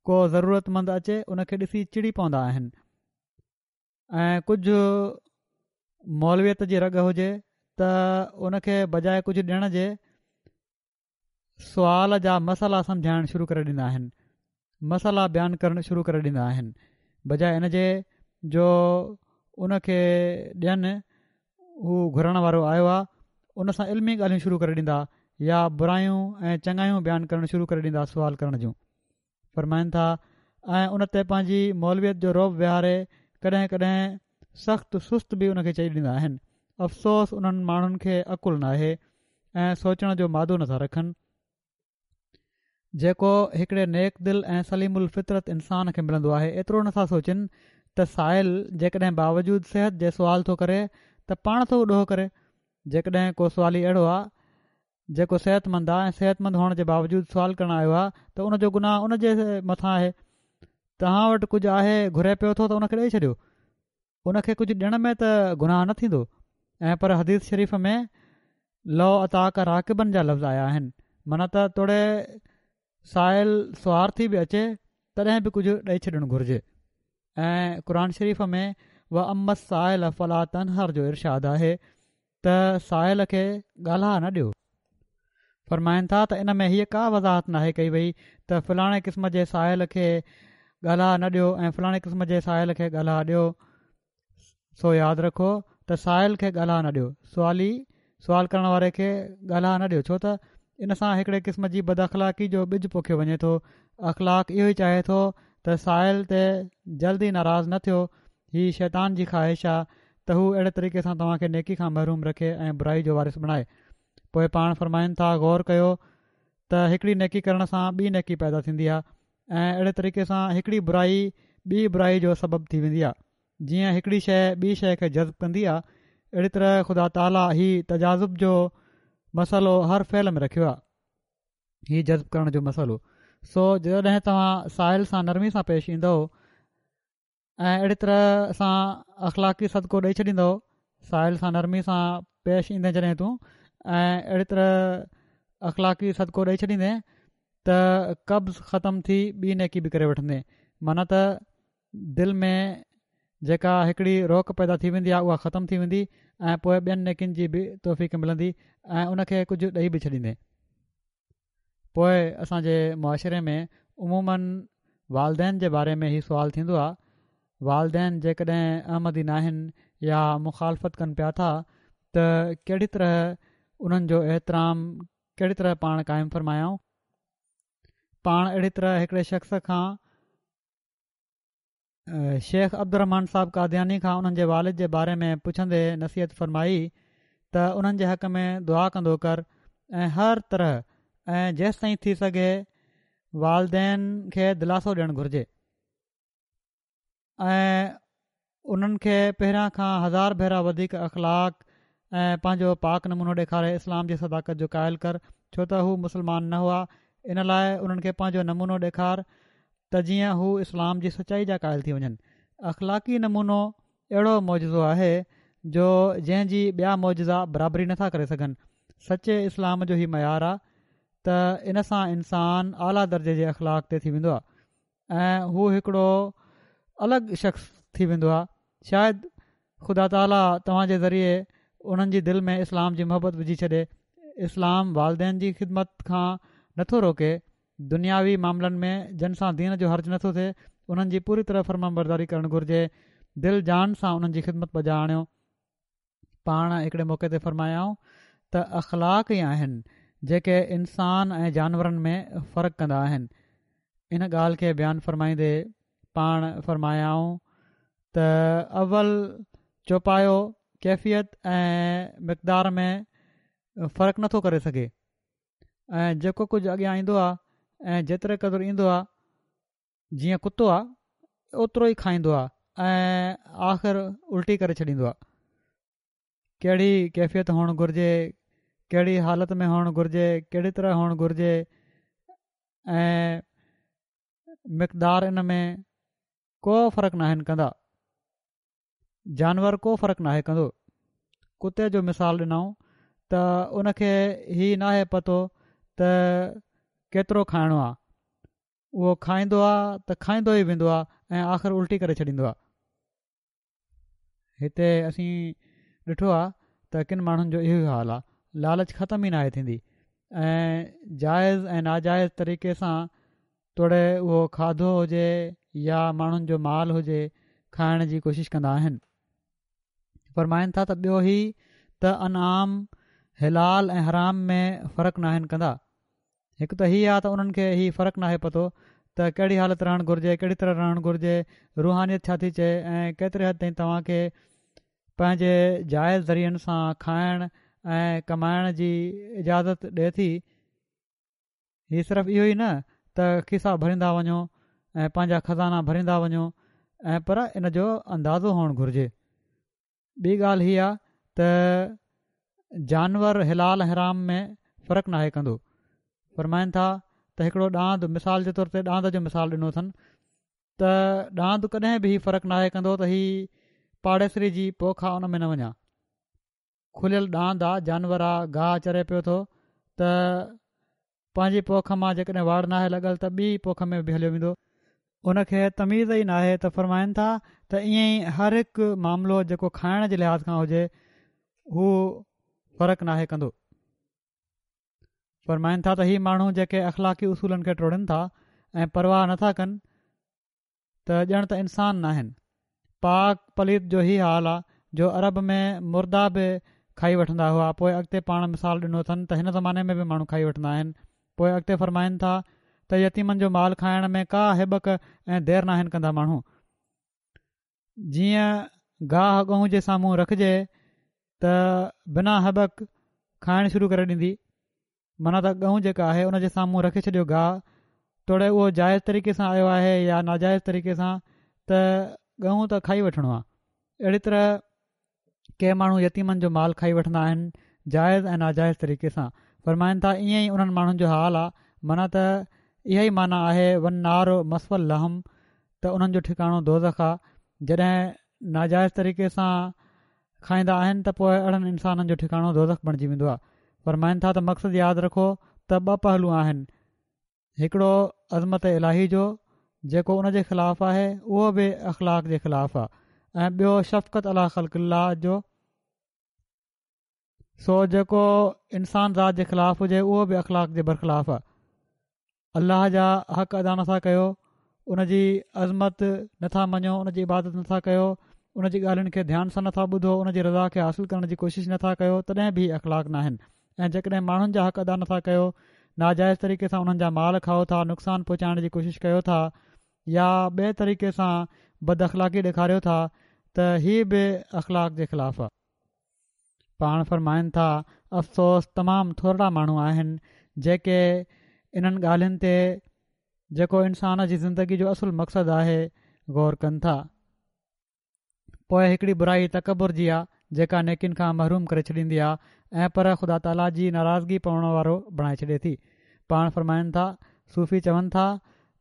ڪو ضرورتمند اچي ان کي ڏسي چڙي پوندا آهن ۽ ڪجهه مولويت جي رڳ هجي ته ان کي بجاء ڪجهه ڏيڻ جي سوال جا مسئلا سمجهائڻ شروع ڪري ڏيندا آهن، مسئلا بيان ڪرڻ شروع ڪري ڏيندا آهن، بجاء ان جي جو ان کي ڏين. هو گهرڻ وارو آيو آهي ان سان علمي ڳالهيون شروع ڪري ڏيندا يا برايون ۽ چڱايون بيان ڪرڻ شروع ڪري ڏيندا سوال ڪرڻ جون. فرمائن ٿا ۽ ان تي پنهنجي مولويت جو رعب ويهاري ڪڏهن ڪڏهن سخت سست به ان کي چئي ڏيندا آهن. افسوس انهن ماڻهن کي عقل ناهي ۽ سوچڻ جو مادو نٿا رکن، جيڪو هڪڙي نيڪ دل ۽ سليم الفطرت انسان کي ملندو آهي. ايترو نٿا سوچن ته سائل جيڪڏهن باوجود صحت جي سوال ٿو ڪري ته پاڻ ٿو ڏوهه ڪري. جيڪڏهن ڪو سوالي اهڙو آهي جيڪو صحت مند آهي ۽ صحت مند هئڻ جي باوجود سوال ڪرڻ آيو آهي ته ان جو گناهه ان جي مٿان آهي. توهان وٽ ڪجهه آهي گهري پيو ٿو ته ان کي ڏئي ڇڏيو، ان کي ڪجهه ڏيڻ ۾ ته گناهه نه ٿيندو. ۽ پر حديث شريف ۾ لو اتاڪ راڪباً جا لفظ آيا آهن، معنيٰ ته توڙي سائل سوار ٿي به اچي تڏهن به ڪجهه ڏئي ڇڏڻ گهرجي. ۽ قرآن شريف ۾ واما السائل فلا تنهر جو ارشاد آهي ته سائل کي ڳالها نه ڏيو. فرمائن ٿا ته ان ۾ هيء ڪا وضاحت ناهي ڪئي وئي ته فلاڻي قسم جي سائل کي ڳالها نه ڏيو ۽ فلاڻي قسم جي سائل کي ڳالها ڏيو. سو ياد رکو ته سائل کي ڳالها نه ڏيو، سوالي، سوال ڪرڻ واري کي ڳالها نه ڏيو، ڇو ته ان سان هڪڙي قسم جي بداخلاقي جو ٻج پوکيو وڃي ٿو. اخلاق اهو ئي چاهي ٿو ته سائل تي جلدي ناراض نه ٿيو. هي شيطان جي خواهش آ ته هو اهڙي طريقي سان توهان کي نيڪي کان محروم رکي ۽ برائي جو وارث بڻائي. پوء پاڻ فرمائن ٿا غور ڪيو ته هڪڙي نيڪي ڪرڻ سان ٻي نيڪي پيدا ٿيندي آ ۽ اهڙي طريقي سان هڪڙي برائي ٻي برائي جو سبب ٿي ويندي آ. جيئن هڪڙي شيء ٻي شيء کي جذب ڪندي آ، اهڙي طرح خدا تعاليٰ هي تجاذب جو مسئلو هر فعل ۾ رکيو آ، هي جذب ڪرڻ جو مسئلو. سو جڏهن توهان سائل سان نرمي سان پيش ايندؤ ۽ اهڙي طرح سان اخلاقي صدقو ڏئي ڇڏيندؤ، سائل سان نرمي سان پيش ايندين جڏهن تون ۽ اهڙي طرح اخلاقي صدقو ڏئي ڇڏيندين ته قبض ختم ٿي ٻي نيڪي به ڪري وٺندين، معنيٰ ته دل ۾ جيڪا هڪڙي روڪ پيدا ٿي ويندي آهي اها ختم ٿي ويندي ۽ پوء ٻين نيڪين جي به توفيق ملندي ۽ ان کي ڪجهه ڏئي به ڇڏيندين. پوء اسان جي معاشري ۾ عموماً والدين جي باري ۾ هي سوال ٿيندو آهي، والدين جيڪڏهن احمدي ناهن يا مخالفت ڪن پيا ٿا ته ڪهڙي طرح انهن جو احترام ڪهڙي طرح پاڻ قائم فرمايائون. پاڻ اهڙي طرح هڪڙي شخص کان شيخ عبدالرحمان صاحب قادياني کان انهن جي والد جي باري ۾ پڇندي نصيحت فرمائي ته انهن جي حق ۾ دعا ڪندو ڪر ۽ هر طرح ۽ جيستائين ٿي سگهي والدين کي دلاسو ڏيڻ گهرجي ۽ انهن کي پهريان کان هزار ڀيرا وڌيڪ اخلاق ۽ پنهنجو پاڪ نمونو ڏيکاري اسلام جي صداقت جو قائل ڪر، ڇو ته هو مسلمان نه هئا، ان لاء انهن کي پنهنجو نمونو ڏيکار ته جيئن هو اسلام جي سچائي جا قائل ٿي وڃن. اخلاقي نمونو اهڙو معجزو آهي جو جنهن جي ٻيا معجزا برابري نٿا ڪري سگهن. سچي اسلام جو هي معيار آ ته ان سان انسان اعليٰ درجي جي اخلاق تي ٿي ويندو آ ۽ هو هڪڙو الڳ شخص ٿي ويندو آ. شايد خدا تعاليٰ توهان جي ذريعي انهن جي دل ۾ اسلام جي محبت وجهي ڇڏي. اسلام والدين جي خدمت کان نٿو روڪي، دنياوي معاملن ۾ جن سان دين جو حرج نٿو ٿئي انهن جي پوري طرح فرمانبرداري ڪرڻ گهرجي، دل جان سان انهن جي خدمت بجا آڻيو. پاڻ هڪڙي موقعي تي فرمايائون ته اخلاق ئي آهن جيڪي انسان ۽ جانورن ۾ فرق ڪندا آهن. ان ڳالهه کي بيان فرمائيندي پاڻ فرمايائون ته اول چوپايو ڪيفيت ۽ مقدار ۾ فرق نٿو ڪري سگهي ۽ جيڪو ڪجهه اڳيان ايندو آهي ۽ جيتري قدر ايندو آهي جيئن ڪتو آهي اوترو ئي کائيندو آهي ۽ آخر الٽي ڪري ڇڏيندو آهي. ڪهڙي ڪيفيت هئڻ گهرجي، ڪهڙي حالت ۾ هئڻ گهرجي، ڪهڙي طرح هئڻ گهرجي ۽ مقدار ان ۾ ڪو فرق ناهن ڪندا. جانور ڪو فرق ناهي ڪندو. ڪتي جو مثال ڏنائون ته ان کي هي ناهي پتو ته ڪيترو کائڻو آ، اهو کائيندو آ ته کائيندو ئي ويندو آ ۽ آخر الٽي ڪري ڇڏيندو آ. هتي اسين ڏٺو آ ته ڪن ماڻهن جو اهو ئي حال آ، لالچ ختم ئي ناهي ٿيندي ۽ جائز ۽ ناجائز طريقي سان توڙي اهو کاڌو هجي يا ماڻهن جو مال هجي کائڻ جي ڪوشش ڪندا آهن. فرمائن ٿا ته ٻيو هي ته انعام حلال ۽ حرام ۾ فرق ناهن ڪندا. هڪ ته هي آ ته انهن کي هي فرق ناهي پتو ته ڪهڙي حالت رهڻ گهرجي، ڪهڙي طرح رهڻ گهرجي، روحانيت ڇا ٿي چئي ۽ ڪيتري حد تائين توهان کي پنهنجي جائز ذريعن سان کائڻ ۽ ڪمائڻ جي اجازت ڏئي ٿي. هي صرف اهو ئي نه ته کيسا ڀريندا وڃو ۽ پنهنجا خزانا ڀريندا وڃو ۽ پر ان جو اندازو هئڻ گهرجي. ٻي ڳالهه هي آ ته جانور حلال ۽ حرام ۾ فرق ناهي ڪندو. فرمائن ٿا ته هڪڙو ڏاند مثال جي طور تي ڏاند جو مثال ڏنو اٿن ته ڏاند ڪڏهن به هي فرق ناهي ڪندو ته هي پاڙيسري جي پوک آ ان ۾ نه وڃان. کليل ڏاند آ جانور آ گاهه چري پيو ٿو ته پنهنجي پوک مان جيڪڏهن واڙ ناهي لڳل ته ٻي پوک ۾ به هليو ويندو. ان کي تميز ئي ناهي ته فرمائن ٿا ته ائين ئي هر هڪ معاملو جيڪو کائڻ جي لحاظ کان هجي هو فرق ناهي ڪندو. فرمائن ٿا ته هي ماڻهو جيڪي اخلاقي اصولن کي ٽوڙين ٿا ۽ پرواهه نٿا ڪن ته ڄڻ ته انسان ناهن. پاڪ پليت جو هي حال آ جو عرب ۾ مردا به کائي وٺندا هئا پوء اڳتي پاڻ مثال ڏنو اٿن ته هن زماني ۾ به ماڻهو کائي وٺندا آهن. پوء اڳتي فرمائن ٿا ته يتيمن جو مال کائڻ ۾ ڪا هٻڪ ۽ دير ناهن ڪندا ماڻهو جيئن گاهه ڳئون جي سامهون رکجي ته بنا هٻڪ کائڻ شروع ڪري ڏيندي معنيٰ ته ڳئون جيڪا آهي ان جي سامهون رکي ڇڏيو گاهه توڙي اهو جائز طريقي سان آيو آهي يا ناجائز طريقي سان ته ڳئون ته کائي وٺڻو آهي. اهڙي طرح ڪي ماڻهو يتيمن جو مال کائي وٺندا آهن جائز ۽ ناجائز طريقي سان. فرمائن ٿا ائين ئي انهن ماڻهن جو حال آ معنيٰ ته اها ئي معنيٰ آهي والنار مثويٰ لهم ته انهن جو ٺڪاڻو دوزخ آ جڏهن ناجائز طريقي سان کائيندا آهن ته پوء اهڙن انسانن جو ٺڪاڻو دوزخ بڻجي ويندو آ. فرمائن ٿا ته مقصد ياد رکو ته ٻه پهلو آهن هڪڙو عظمت الاهي جو جيڪو ان جي خلاف آهي اهو به اخلاق جي خلاف آ ۽ ٻيو شفقت عليٰ خلق الله جو سو جيڪو انسان ذات جي خلاف هجي اهو به اخلاق جي برخلاف آ. الله جا حق ادا نٿا ڪيو، ان جي عظمت نٿا مڃو، ان جي عبادت نٿا ڪيو، ان جي ڳالهين کي ڌيان سان نٿا ٻڌو، ان جي رضا کي حاصل ڪرڻ جي ڪوشش نٿا ڪيو تڏهن به هي اخلاق ناهن. ۽ جيڪڏهن ماڻهن جا حق ادا نٿا ڪيو، ناجائز طريقي سان انهن جا مال کائو ٿا، نقصان پهچائڻ جي ڪوشش ڪيو ٿا يا ٻئي طريقي سان بد اخلاقي ڏيکاريو ٿا ته هي به اخلاق جي خلاف آهي. پاڻ فرمائن ٿا، افسوس تمام ٿورڙا ماڻهو آهن جيڪي انهن ڳالهين تي جيڪو انسان جي زندگي جو اصل مقصد آهي غور ڪن ٿا. پوء هڪڙي برائي تڪبر جي آ جيڪا نيڪين کان محروم ڪري ڇڏيندي آ ۽ پر خدا تعاليٰ جي ناراضگي پوڻ وارو بڻائي ڇڏي ٿي. پاڻ فرمائن ٿا، صوفي چون ٿا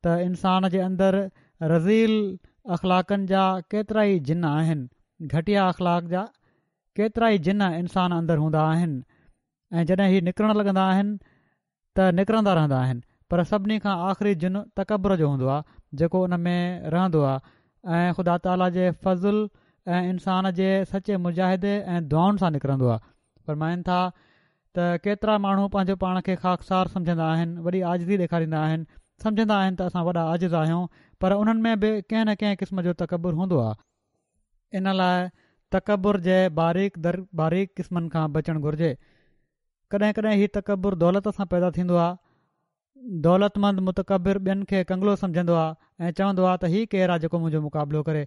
ته انسان جي اندر رذيل اخلاقن جا ڪيترائي جن آهن، گهٽيا اخلاق جا ڪيترائي جن انسان اندر هوندا آهن ۽ جڏهن هي نڪرڻ لڳندا آهن ته نڪرندا رهندا آهن پر سڀني کان آخري جن تڪبر جو هوندو آهي جيڪو ان ۾ رهندو آهي ۽ خدا تعاليٰ جي فضل ۽ انسان جي سچي مجاهدي ۽ دعائن سان نڪرندو آهي. فرمائن ٿا ته ڪيترا ماڻهو پنهنجو پاڻ کي خاڪسار سمجهندا آهن، وڏي عاجزي ڏيکاريندا آهن، سمجهندا آهن ته اسان وڏا عاجز آهيون پر انهن ۾ به ڪنهن نه ڪنهن قسم جو تڪبر هوندو آهي. ان لاء تڪبر جي باريڪ در باريڪ قسمن کان بچڻ گهرجي. ڪڏهن ڪڏهن هي تڪبر دولت سان پيدا ٿيندو آهي. دولتمند متڪبر ٻين کي ڪنگلو سمجهندو آهي ۽ چوندو آهي ته هي ڪير آهي جيڪو منهنجو مقابلو ڪري.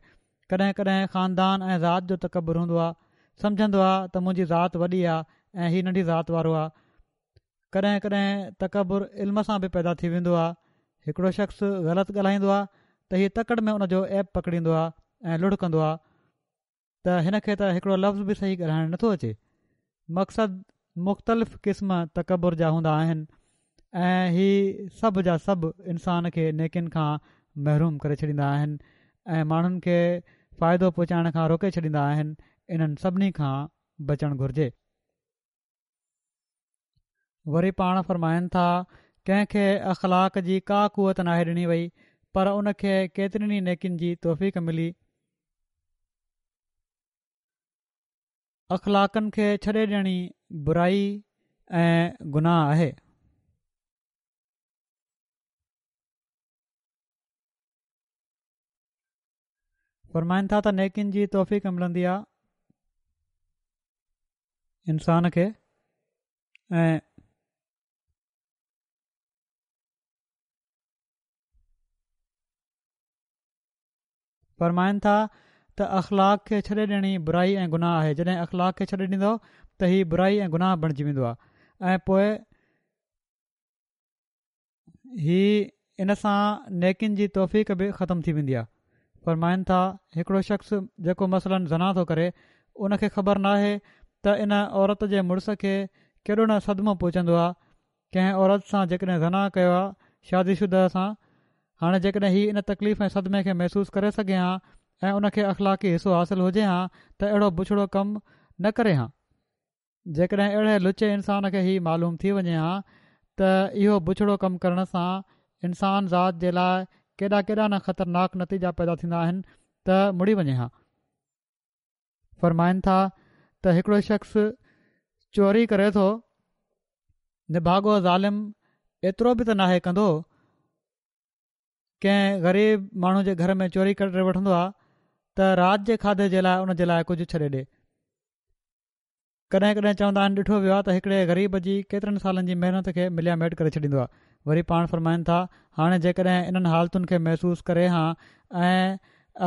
ڪڏهن ڪڏهن خاندان ۽ ذات جو تڪبر هوندو آهي. سمجهندو آهي ته منهنجي ذات وڏي آهي ۽ هي ننڍي ذات وارو آهي. ڪڏهن ڪڏهن تڪبر علم سان به پيدا ٿي ويندو آهي. هڪڙو شخص غلط ڳالهائيندو آهي ته هي تڪڙ ۾ ان جو عيب پڪڙيندو آهي ۽ لڙ ڪندو آهي ته هن کي ته هڪڙو لفظ به صحيح ڳالهائڻ نٿو اچي. مقصد مختلف قسم تڪبر جا هوندا آهن ۽ هي سڀ جا سڀ انسان کي نيڪين کان محروم ڪري ڇڏيندا آهن ۽ ماڻهن کي فائدو پهچائڻ کان روڪي ڇڏيندا آهن. انهن سڀني کان بچڻ گهرجي. وري پاڻ فرمائن ٿا، ڪنهن کي اخلاق جي ڪا قوت ناهي ڏني وئي پر ان کي ڪيترين ئي نيڪين جي توفيق ملي. اخلاقن کي ڇڏي ڏيڻ ئي برائي ۽ گناهه آهي. فرمائن ٿا ته نيڪين جي توفيق ملندي آهي انسان کي ۽ فرمائن ٿا ته اخلاق کي ڇڏي ڏيڻ ئي برائي ۽ گناهه آهي، جڏهن اخلاق کي ڇڏي ڏيندؤ ته هي برائي ۽ گناهه بڻجي ويندو آهي ۽ پوء هي ان سان نيڪين جي توفيق به ختم ٿي ويندي آهي. فرمائن ٿا هڪڙو شخص جيڪو مثلاً زنا ٿو ڪري ان کي خبر ناهي ته ان عورت جي مڙس کي ڪيڏو نه صدمو پهچندو آهي ڪنهن عورت سان جيڪڏهن زنا ڪيو آ شادي شده سان، هاڻي جيڪڏهن هي ان تڪليف ۽ صدمي کي محسوس ڪري سگهي ها ۽ ان کي اخلاقي حصو حاصل هجي ها ته اهڙو بڇڙو ڪم نه ڪري ها. جيڪڏهن اهڙي لچي انسان کي هي معلوم ٿي وڃي ها ته اهو بڇڙو ڪم ڪرڻ سان انسان ذات جي لاء ڪيڏا ڪيڏا نه خطرناڪ نتيجا پيدا ٿيندا آهن ته مڙي وڃي ها. فرمائن ٿا ته هڪڙو شخص چوري ڪري ٿو، نڀاڳو ظالم ايترو به ته ناهي ڪندو، ڪنهن غريب ماڻهو جي گهر ۾ چوري ڪري وٺندو آهي ته رات جي کاڌي جي لاء ان جي لاء ڪجهه ڇڏي ڏي. ڪڏهن ڪڏهن چوندا آهن ڏٺو ويو آهي ته هڪڙي غريب جي ڪيترن سالن جي محنت کي مليا ميٽ ڪري ڇڏيندو آهي. وري پاڻ فرمائن ٿا هاڻي جيڪڏهن انهن حالتن کي محسوس ڪري ها ۽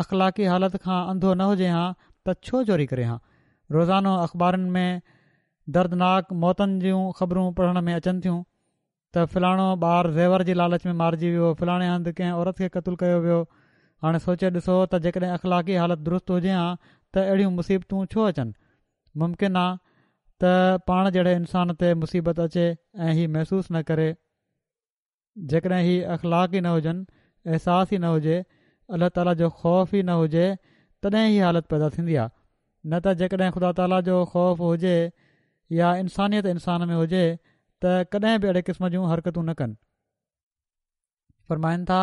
اخلاقي حالت کان انڌو نه هجي ها ته ڇو چوري ڪري ها. روزانو اخبارن ۾ دردناڪ موتن جون خبرون پڙهڻ ۾ اچن ٿيون ته فلاڻو ٻار زيور جي لالچ ۾ مارجي ويو، فلاڻي هنڌ ڪنهن عورت کي قتل ڪيو ويو. هاڻي سوچي ڏسو ته جيڪڏهن اخلاقي حالت درست هجي ها ته اهڙيون مصيبتون ڇو اچن؟ ممڪن آ ته پاڻ جهڙي انسان تي مصيبت اچي ۽ هي محسوس نه ڪري. جيڪڏهن هي اخلاق ئي نه هجن، احساس ئي نه هجي، الله تعاليٰ جو خوف ئي نه هجي تڏهن هي حالت پيدا ٿيندي آهي نه ته جيڪڏهن خدا تعاليٰ جو خوف هجي يا انسانيت انسان ۾ هجي ته ڪڏهن به اهڙي قسم جون حرڪتون نه ڪن. فرمائن ٿا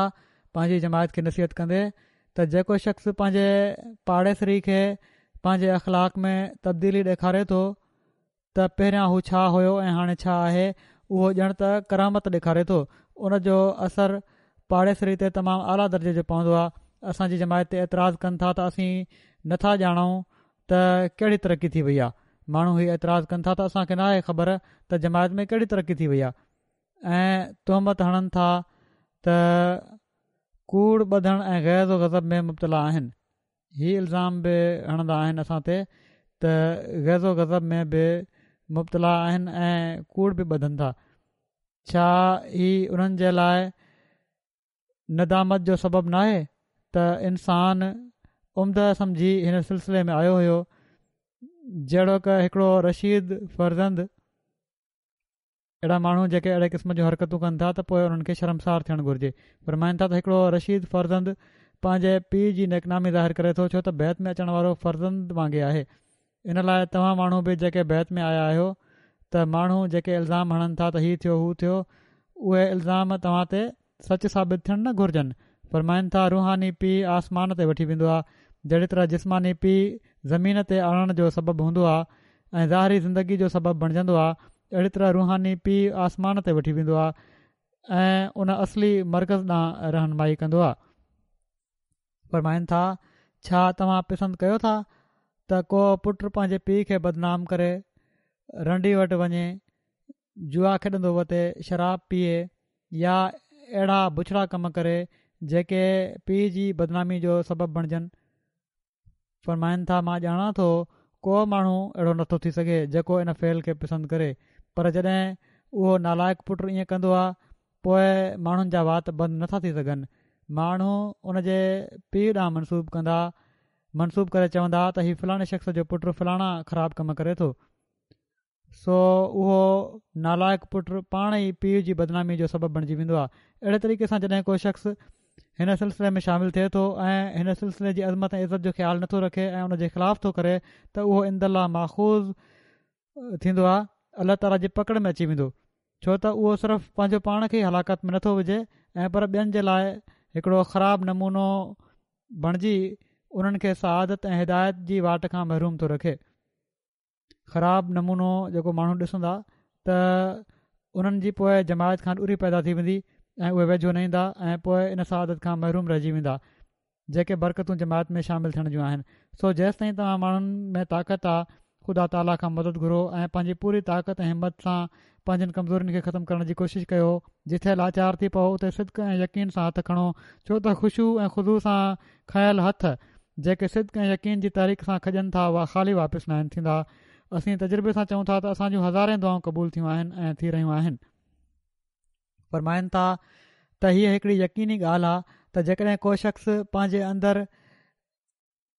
پنهنجي جماعت کي نصيحت ڪندي ته جيڪو شخص پنهنجي پاڙيسري کي پنهنجي اخلاق ۾ تبديلي ڏيکاري ٿو ته پهريان هو ڇا هيو ۽ هاڻي ڇا آهي، اهو ڄڻ ته ڪرامت ڏيکاري ٿو. ان جو اثر پاڙيسري تي تمام اعليٰ درجي جو پوندو آهي. اسان جي جماعت تي اعتراض ڪن ٿا ته اسين نه ٿا ڄاڻون ته ڪهڙي ترقي ٿي وئي آهي. ماڻهو هي اعتراض ڪن ٿا ته اسان کي ناهي خبر ته جماعت ۾ ڪهڙي ترقي ٿي وئي آهي ۽ تهمت هڻن ٿا ته ڪوڙ ٻڌڻ ۽ غيظ و غضب ۾ مبتلا آهن. هي الزام به هڻندا آهن اسان تي ته غيظ و غضب ۾ به مبتلا آهن ۽ ڪوڙ به ٻڌن ٿا. ڇا هي انهن جي لاء ندامت جو سبب ناهي ته انسان عمده سمجهي هن سلسلي ۾ آيو هيو، جهڙوڪ هڪڙو رشيد فرزند. اهڙا ماڻهو جيڪي اهڙي قسم جون حرڪتون ڪن ٿا ته پوء انهن کي شرمسار ٿيڻ گهرجي. فرمائن ٿا ته هڪڙو رشيد فرزند پنهنجي پيء جي نيڪنامي ظاهر ڪري ٿو، ڇو ته بيعت ۾ اچڻ وارو فرزند وانگي آهي. ان لاء توهان ماڻهو به جيڪي بيعت ۾ آيا آهيو ته ماڻهو جيڪي الزام هڻن ٿا ته هي ٿيو هو ٿيو، اهي الزام توهان تي سچ ثابت ٿيڻ نه گهرجن. فرمائن ٿا روحاني پيء آسمان تي وٺي ويندو آهي، جهڙي طرح جسماني پيء زمين تي آڻڻ جو سبب هوندو آهي ۽ ظاهري زندگي جو سبب بڻجندو آهي، اهڙي طرح روحاني پيء آسمان تي وٺي ويندو آهي ۽ ان اصلي مرڪز ڏانهن رهنمائي ڪندو آهي. فرمائن ٿا ڇا توهان پسند ڪيو ٿا ته ڪو پٽ پنهنجي پيء کي بدنام ڪري، رنڊي وٽ وڃي، جوا کيڏندو وتي، شراب پيئي يا اهڙا بڇڙا ڪم ڪري جيڪي پيء جي بدنامي جو سبب بڻجن؟ فرمائن ٿا مان ڄاڻان ٿو ڪو ماڻهو اهڙو نٿو ٿي سگهي جيڪو ان فعل کي پسند ڪري، پر جڏهن اهو نالائق پٽ ائين ڪندو آهي پوء ماڻهن جا وات بند نٿا ٿي سگهن. ماڻهو ان جي پيء ڏانهن منسوب ڪندا منسوب ڪري چوندا ته هي فلاڻي شخص جو پٽ فلاڻا خراب ڪم ڪري ٿو، سو اهو نالائق پٽ پاڻ ئي پيء جي بدنامي جو سبب بڻجي ويندو آهي. اهڙي طريقي سان جڏهن ڪو شخص هن سلسلي ۾ شامل ٿئي ٿو ۽ هن سلسلي جي عظمت ۽ عزت جو خيال نٿو رکي ۽ ان جي خلاف ٿو ڪري ته اهو عند الله ماخوذ ٿيندو آهي، الله تعاليٰ جي پڪڙ ۾ اچي ويندو، ڇو ته اهو صرف پنهنجو پاڻ کي ئي هلاڪت ۾ نٿو وجهي ۽ پر ٻين جي لاء هڪڙو خراب نمونو بڻجي انهن کي سعادت ۽ هدايت جي واٽ کان محروم ٿو رکي. خراب نمونو جيڪو ماڻهو ڏسندا ته انهن جي پوء جماعت کان ڏوري پيدا ٿي ويندي ۽ اهي ويجهو نه ايندا ۽ پوء ان سعادت کان محروم رهجي ويندا جيڪي برڪتون جماعت ۾ شامل ٿيڻ جون آهن. سو جيستائين توهان ماڻهن ۾ طاقت آ خدا تعاليٰ کان مدد گهرو ۽ پنهنجي پوري طاقت ۽ همت سان پنهنجين ڪمزورين کي ختم ڪرڻ جي ڪوشش ڪيو. جٿي لاچار ٿي پئو اتي صدق ۽ يقين سان هٿ کڻو، ڇو ته خشوع ۽ خضوع سان کنيل هٿ جيڪي صدق ۽ يقين جي تحريڪ سان کڄن ٿا اها خالي واپس ناهن ٿيندا. اسين تجربي سان چئون ٿا ته اسان جون هزارين دعائون قبول ٿيون آهن ۽ ٿي رهيون آهن. فرمائن ٿا ته هيء هڪڙي يقيني ڳالهه آهي ته جيڪڏهن ڪو شخص پنهنجي اندر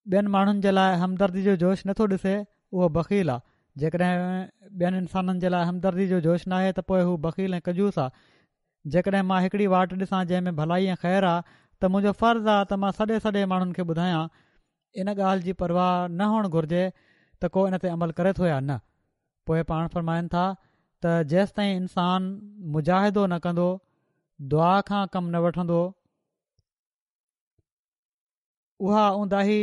ٻين ماڻهن جي لاء همدردي جو جوش نٿو ڏسي اهو بخيل آهي. جيڪڏهن ٻين انسانن جي لاء همدردي جو جوش ناهي ته پوء هو بخيل ۽ ڪنجوس آهي. جيڪڏهن مان هڪڙي واٽ ڏسان جنهن ۾ ڀلائي ۽ خير آهي ته منهنجو فرض آهي ته مان سڏي سڏي ماڻهن کي ٻڌايان. ان ڳالهه جي پرواهه نه هئڻ گهرجي ته ڪو ان تي عمل ڪري ٿو يا نه. پوء پاڻ فرمائن ٿا ته جيستائين انسان مجاهدو نه ڪندو، دعا کان ڪم نه وٺندو، اها اونداهي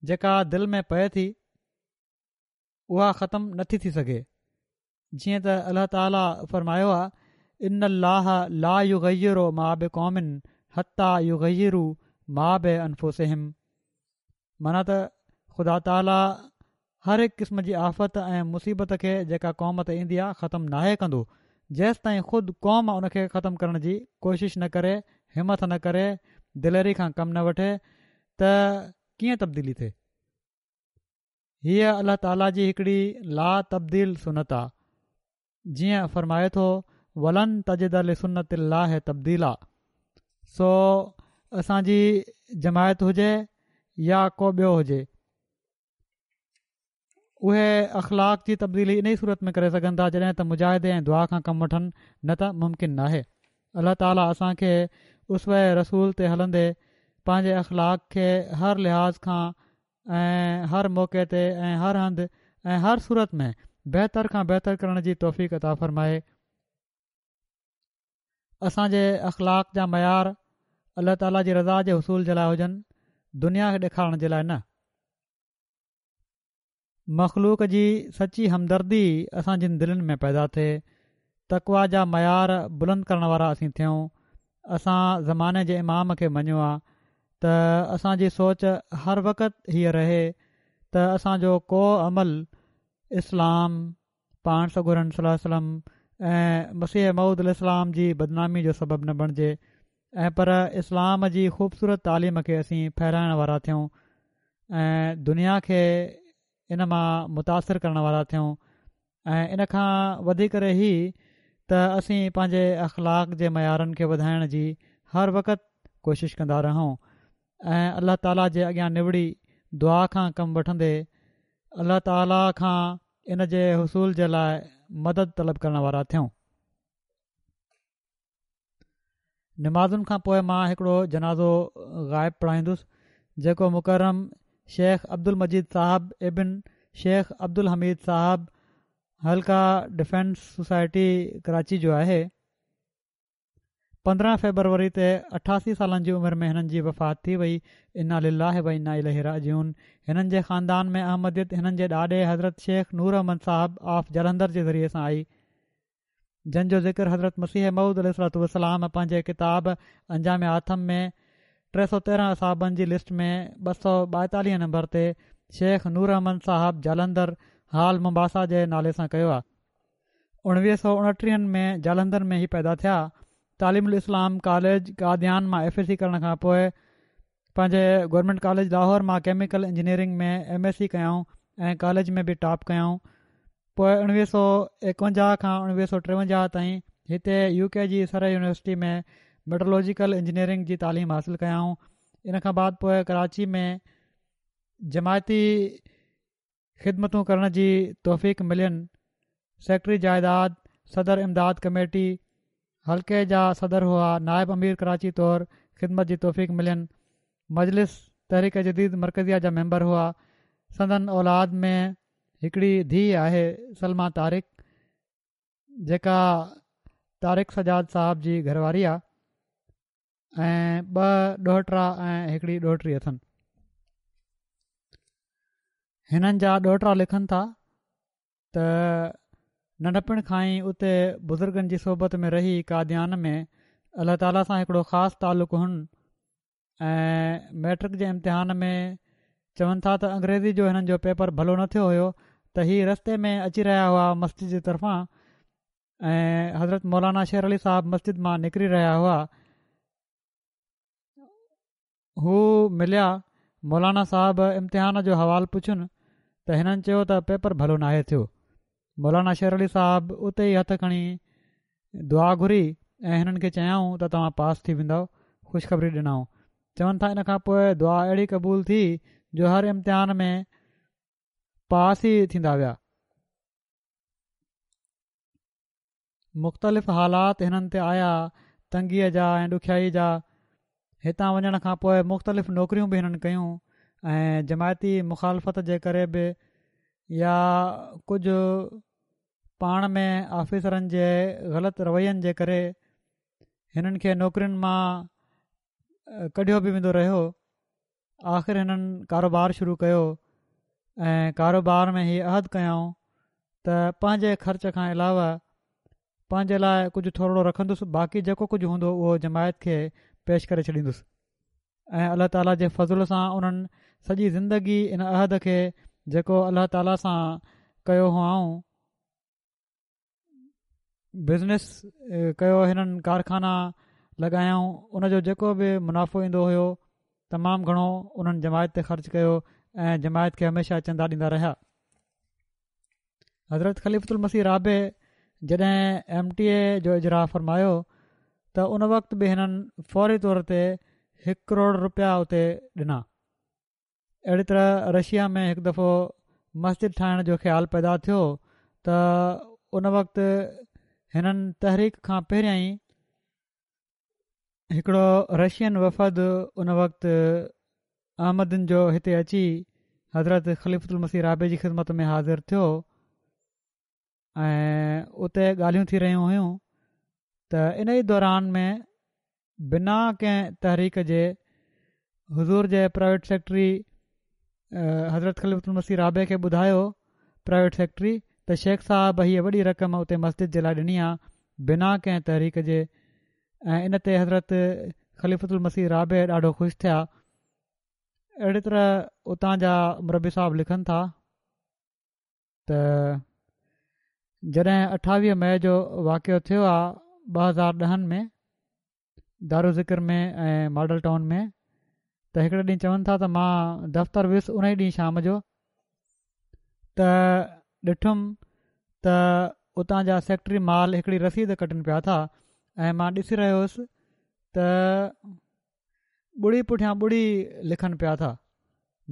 جيڪا دل ۾ پئي ٿي اها ختم نٿي ٿي سگهي. جيئن ته الله تعاليٰ فرمايو آهي ان الله لا يغير ما بقوم حتي يغيروا ما بانفسهم، معنيٰ ته خدا تعاليٰ هر هڪ قسم جي آفت ۽ مصيبت کي جيڪا قوم تي ايندي آهي ختم ناهي ڪندو جيستائين خود قوم ان کي ختم ڪرڻ جي ڪوشش نه ڪري، همت نه ڪري، دليري کان ڪم نه وٺي ته ڪيئن تبديلي ٿئي. هيء الله تعاليٰ جي هڪڙي لا تبديل سنت آ، جيئن فرمائي ٿو ولن تجد لسنت الله تبديلا. سو اسان جي جماعت هجي يا ڪو ٻيو هجي اهي اخلاق جي تبديلي انهي صورت ۾ ڪري سگهن ٿا جڏهن ته مجاهدي ۽ دعا کان ڪم وٺن، نه ته ممڪن ناهي. الله تعاليٰ اسان کي اسوه رسول تي هلندي پنهنجي اخلاق کي هر لحاظ کان ۽ هر موقعي تي ۽ هر هنڌ ۽ هر صورت ۾ بهتر کان بهتر ڪرڻ جي توفيق عطا فرمائي. اسان جي اخلاق جا معيار الله تعاليٰ جي رضا جي حصول جي لاء هجن، دنيا کي ڏيکارڻ جي لاء نه. مخلوق جي سچي همدردي اسان جن دلين ۾ پيدا ٿئي، تقويٰ جا معيار بلند ڪرڻ وارا اسين ٿيون. اسان زماني جي امام کي مڃيو آ ته اسان جي سوچ هر وقت هيء رهي ته اسان جو ڪو عمل اسلام، پاڻ سڳورن صلي الله عليه وسلم ۽ مسيح موعود عليه السلام جي بدنامي جو سبب نه بڻجي ۽ پر اسلام جي خوبصورت تعليم کي اسين ڦهلائڻ وارا ٿيون ۽ دنيا کي ان مان متاثر ڪرڻ وارا ٿيون ۽ ان کان وڌي ڪري هي ته اسين پنهنجي اخلاق جي معيارن کي وڌائڻ جي هر وقت ڪوشش ڪندا رهون ۽ الله تعاليٰ جي اڳيان نوڙي دعا کان ڪم وٺندي الله تعاليٰ کان ان جي حصول جي لاء مدد طلب ڪرڻ وارا ٿيون. نمازن کان پوء مان هڪڙو جنازو غائب پڙهائيندس جيڪو مڪرم شيخ عبدالمجيد صاحب ابن شيخ عبدالحميد صاحب حلقه ڊفينس سوسائٽي ڪراچي جو آهي. پندرهن فيبروري تي اٺاسي سالن جي عمر ۾ هنن جي وفات ٿي وئي. انا لله و انا اليه راجعون. هنن جي خاندان ۾ احمديت هنن جي ڏاڏي حضرت شيخ نور احمد صاحب آف جالنڌر جي ذريعي سان آئي، جن جو ذڪر حضرت مسيح موعود عليه الصلوة والسلام پنهنجي ڪتاب انجام آٿم ۾ ٽي سؤ تيرهن اصحابن جي لسٽ ۾ ٻه سؤ ٻائيتاليهه نمبر تي شيخ نور احمد صاحب جالنڌر حال ممباسا جي نالي سان ڪيو آهي. اڻويهه سؤ اڻٽيهن ۾ جالنڌر ۾ هي پيدا ٿيا. تعليم الاسلام ڪاليج قاديان مان ايف ايس سي ڪرڻ کان پوء پنهنجي گورنمينٽ ڪاليج لاهور مان chemical engineering ۾ M S C ڪيائون ۽ ڪاليج ۾ به ٽاپ ڪيائون. پوء اڻويهه سؤ ايڪونجاهه کان اڻويهه سؤ ٽيونجاهه تائين هتي يو ڪي جي سري يونيورسٽي ۾ ميٽرولوجيڪل انجنيئرنگ جي تعليم حاصل ڪيائون. ان کان بعد پوء ڪراچي ۾ جماعتي خدمتون ڪرڻ جي توفيق ملين. سيڪريٽري جائيداد، صدر امداد ڪميٽي، حلقي جا صدر هئا. نائب امير ڪراچي طور خدمت جي توفيق ملين. مجلس تحريڪ جديد مرڪزيه جا ميمبر هئا. سندن اولاد ۾ هڪڙي ڌيء آهي سلميٰ طارق، جيڪا طارق سجاد صاحب جي گهرواري آهي ۽ ٻه ڏوهٽا ۽ هڪڙي ڏوهٽي اٿن. هنن جا ڏوهٽا لکن ٿا ته ننڍپڻ کان ئي اتي بزرگن جي صحبت ۾ رهي قاديان ۾ الله تعاليٰ سان هڪڙو خاص تعلق هن ۽ ميٽرڪ جي امتحان ۾ چون ٿا ته انگريزي جو هنن جو پيپر ڀلو نه ٿيو هيو ته هي رستي ۾ اچي رهيا هئا مسجد جي طرفان ۽ حضرت مولانا شير علي صاحب مسجد مان نڪري رهيا هئا، هو مليا، مولانا صاحب امتحان جو حوال پڇين ته هنن چيو ته پيپر ڀلو ناهي ٿيو. مولانا شير علي صاحب اتي ئي هٿ کڻي دعا گهري ۽ هنن کي چيائون ته توهان پاس ٿي ويندؤ، خوشخبري ڏنائون. چون ٿا ان کان پوء دعا اهڙي قبول ٿي جو هر امتحان ۾ پاس ئي ٿيندا ويا. مختلف حالات هنن تي آيا تنگيء جا ۽ ڏکيائي جا. هتان وڃڻ کان پوء مختلف نوڪريون به هنن ڪيون ۽ جماعتي مخالفت جي ڪري به يا ڪجهه پاڻ ۾ آفيسرن جي غلط روين جي ڪري هنن کي نوڪرين مان ڪڍيو به ويندو رهيو. آخر هنن ڪاروبار شروع ڪيو ۽ ڪاروبار ۾ هي عهد ڪيائون ته پنهنجي خرچ کان علاوه پنهنجي لاء ڪجهه ٿورڙو رکندس، باقي جيڪو ڪجهه هوندو اهو جماعت کي پيش ڪري ڇڏيندس. ۽ الله تعاليٰ جي فضل سان انهن سڄي زندگي ان عهد کي جيڪو الله تعاليٰ سان ڪيو هئائون، بزنس ڪيو، هنن ڪارخانا لڳايائون، ان جو جيڪو به منافعو ايندو هيو تمام گهڻو انهن جماعت تي خرچ ڪيو ۽ جماعت کي هميشه چندا ڏيندا رهيا. حضرت خليفة المسيح رابع جڏهن ايم ٽي اي جو اجراء فرمايو ته ان وقت به هنن فوري طور تي هڪ ڪروڙ روپيا اتي ڏنا. اهڙي طرح رشيا ۾ هڪ دفعو مسجد ٺاهڻ جو خيال پيدا ٿيو ته ان وقت هنن تحريڪ کان پهريائين هڪڙو رشين وفد ان وقت احمدين جو هتي اچي حضرت خليفة المسيح رابع جي خدمت ۾ حاضر ٿيو ۽ اتي ڳالهيون ٿي رهيون هيون ته ان ئي دوران ۾ بنا ڪنهن تحريڪ جي حضور جي پرائيويٽ سيڪريٽري حضرت خليفة المسيح رابع کي ٻڌايو پرائيويٽ سيڪريٽري ته شيخ صاحب هيء وڏي رقم اتي مسجد جي لاء ڏني آ بنا ڪنهن تحريڪ جي ۽ ان تي حضرت خليفة المسيح رابع ڏاڍو خوش ٿيا. اهڙي طرح اتان جا مربي صاحب لکن ٿا ته جڏهن اٺاويهه مئي جو واقعو ٿيو آهي ٻه هزار ڏهن ۾ دارالذڪر ۾ ۽ ماڊل ٽائون ۾ ته هڪڙي ڏينهن چون ٿا ته مان دفتر ويس ان ئي ڏينهن شام جو ته ڏٺم ته اتان جا سيڪريٽري مال هڪڙي رسيد ڪٽن پيا ٿا ۽ مان ڏسي رهيو هوس ته ٻڙي پٺيان ٻڙي لکن پيا ٿا.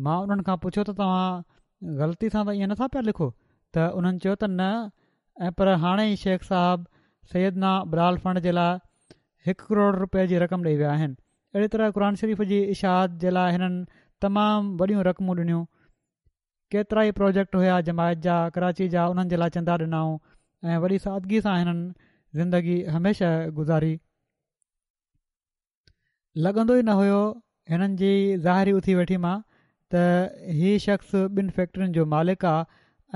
مان انهن کان پڇيو ته توهان غلطي سان ته ائين نٿا پيا لکو؟ ته انهن چيو ته نه، ۽ پر هاڻي ئي شيخ صاحب سيدنا بلال فنڊ جي لاء هڪ ڪروڙ رپئي جي رقم ڏئي ويا آهن. اهڙي طرح قرآن شريف جي اشاعت جي لاء هنن تمام وڏيون رقمون ڏنيون. ڪيترا ئي پروجيڪٽ هيا جماعت جا ڪراچي جا، انهن جي لاء چندا ڏنائون ۽ وڏي سادگي سان هنن زندگي هميشه گذاري. لڳندو ئي نه هيو هنن جي ظاهري اٿي ويٺي مان ته هي شخص ٻن فيڪٽرين جو مالڪ آ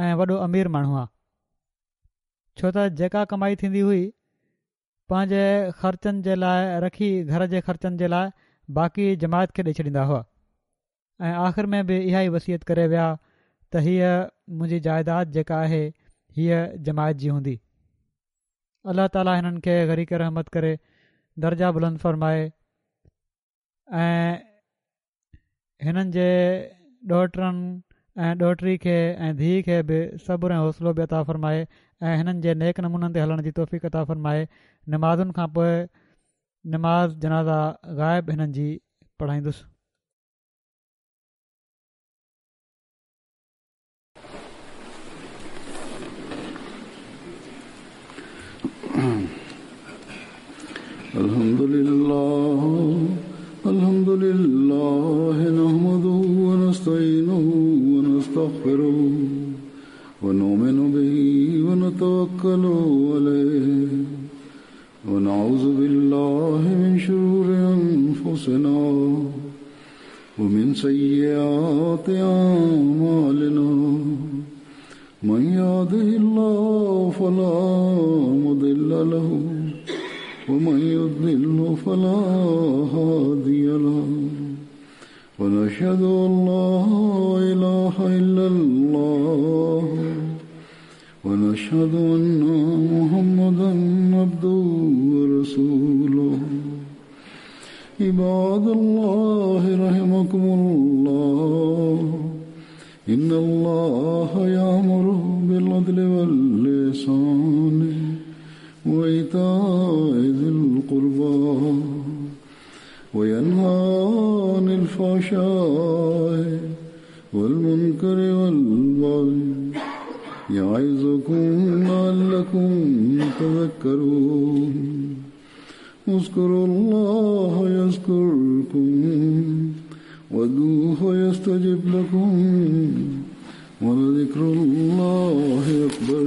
۽ وڏو امير ماڻهو آ، ڇو ته جيڪا ڪمائي ٿيندي هئي پنهنجي خرچن جي لاء رکي گهر جي خرچن جي لاء باقي جماعت کي ڏئي ڇڏيندا هئا. ۽ آخر ۾ به اها ئي وصيت ڪري ويا ته هيء منهنجي جائيداد جيڪا آهي هيء جماعت جي هوندي. الله تعاليٰ هنن کي غريق رحمت ڪري، درجا بلند فرمائي ۽ هنن جي ڏوهٽرن ۽ ڏوهٽري کي ۽ ڌيءَ کي به صبر ۽ حوصلو به عطا فرمائي ۽ هنن جي نيڪ نمونن تي هلڻ جي توفيق عطا فرمائي. نمازن کان پوءِ نماز جنازه غائب هنن جي پڙهائيندس. الحمد لله الحمد لله نحمده ونستعينه ونستغفره ونؤمن به ونتوكل عليه ونعوذ بالله من شرور أنفسنا ومن سيئات أعمالنا من يهده الله فلا مضل له ومن يضلل فلا هادي له ونشهد أن لا إله إلا الله ونشهد أن محمدا عبده ورسوله. عباد الله رحمكم الله، إن الله يأمر بالعدل والإحسان وإيتاء ذي القربى وينهى عن الفحشاء والمنكر والبغي يعظكم لعلكم تذكرون. اذكروا الله يذكركم وادعوه يستجب لكم ولذكر الله أكبر.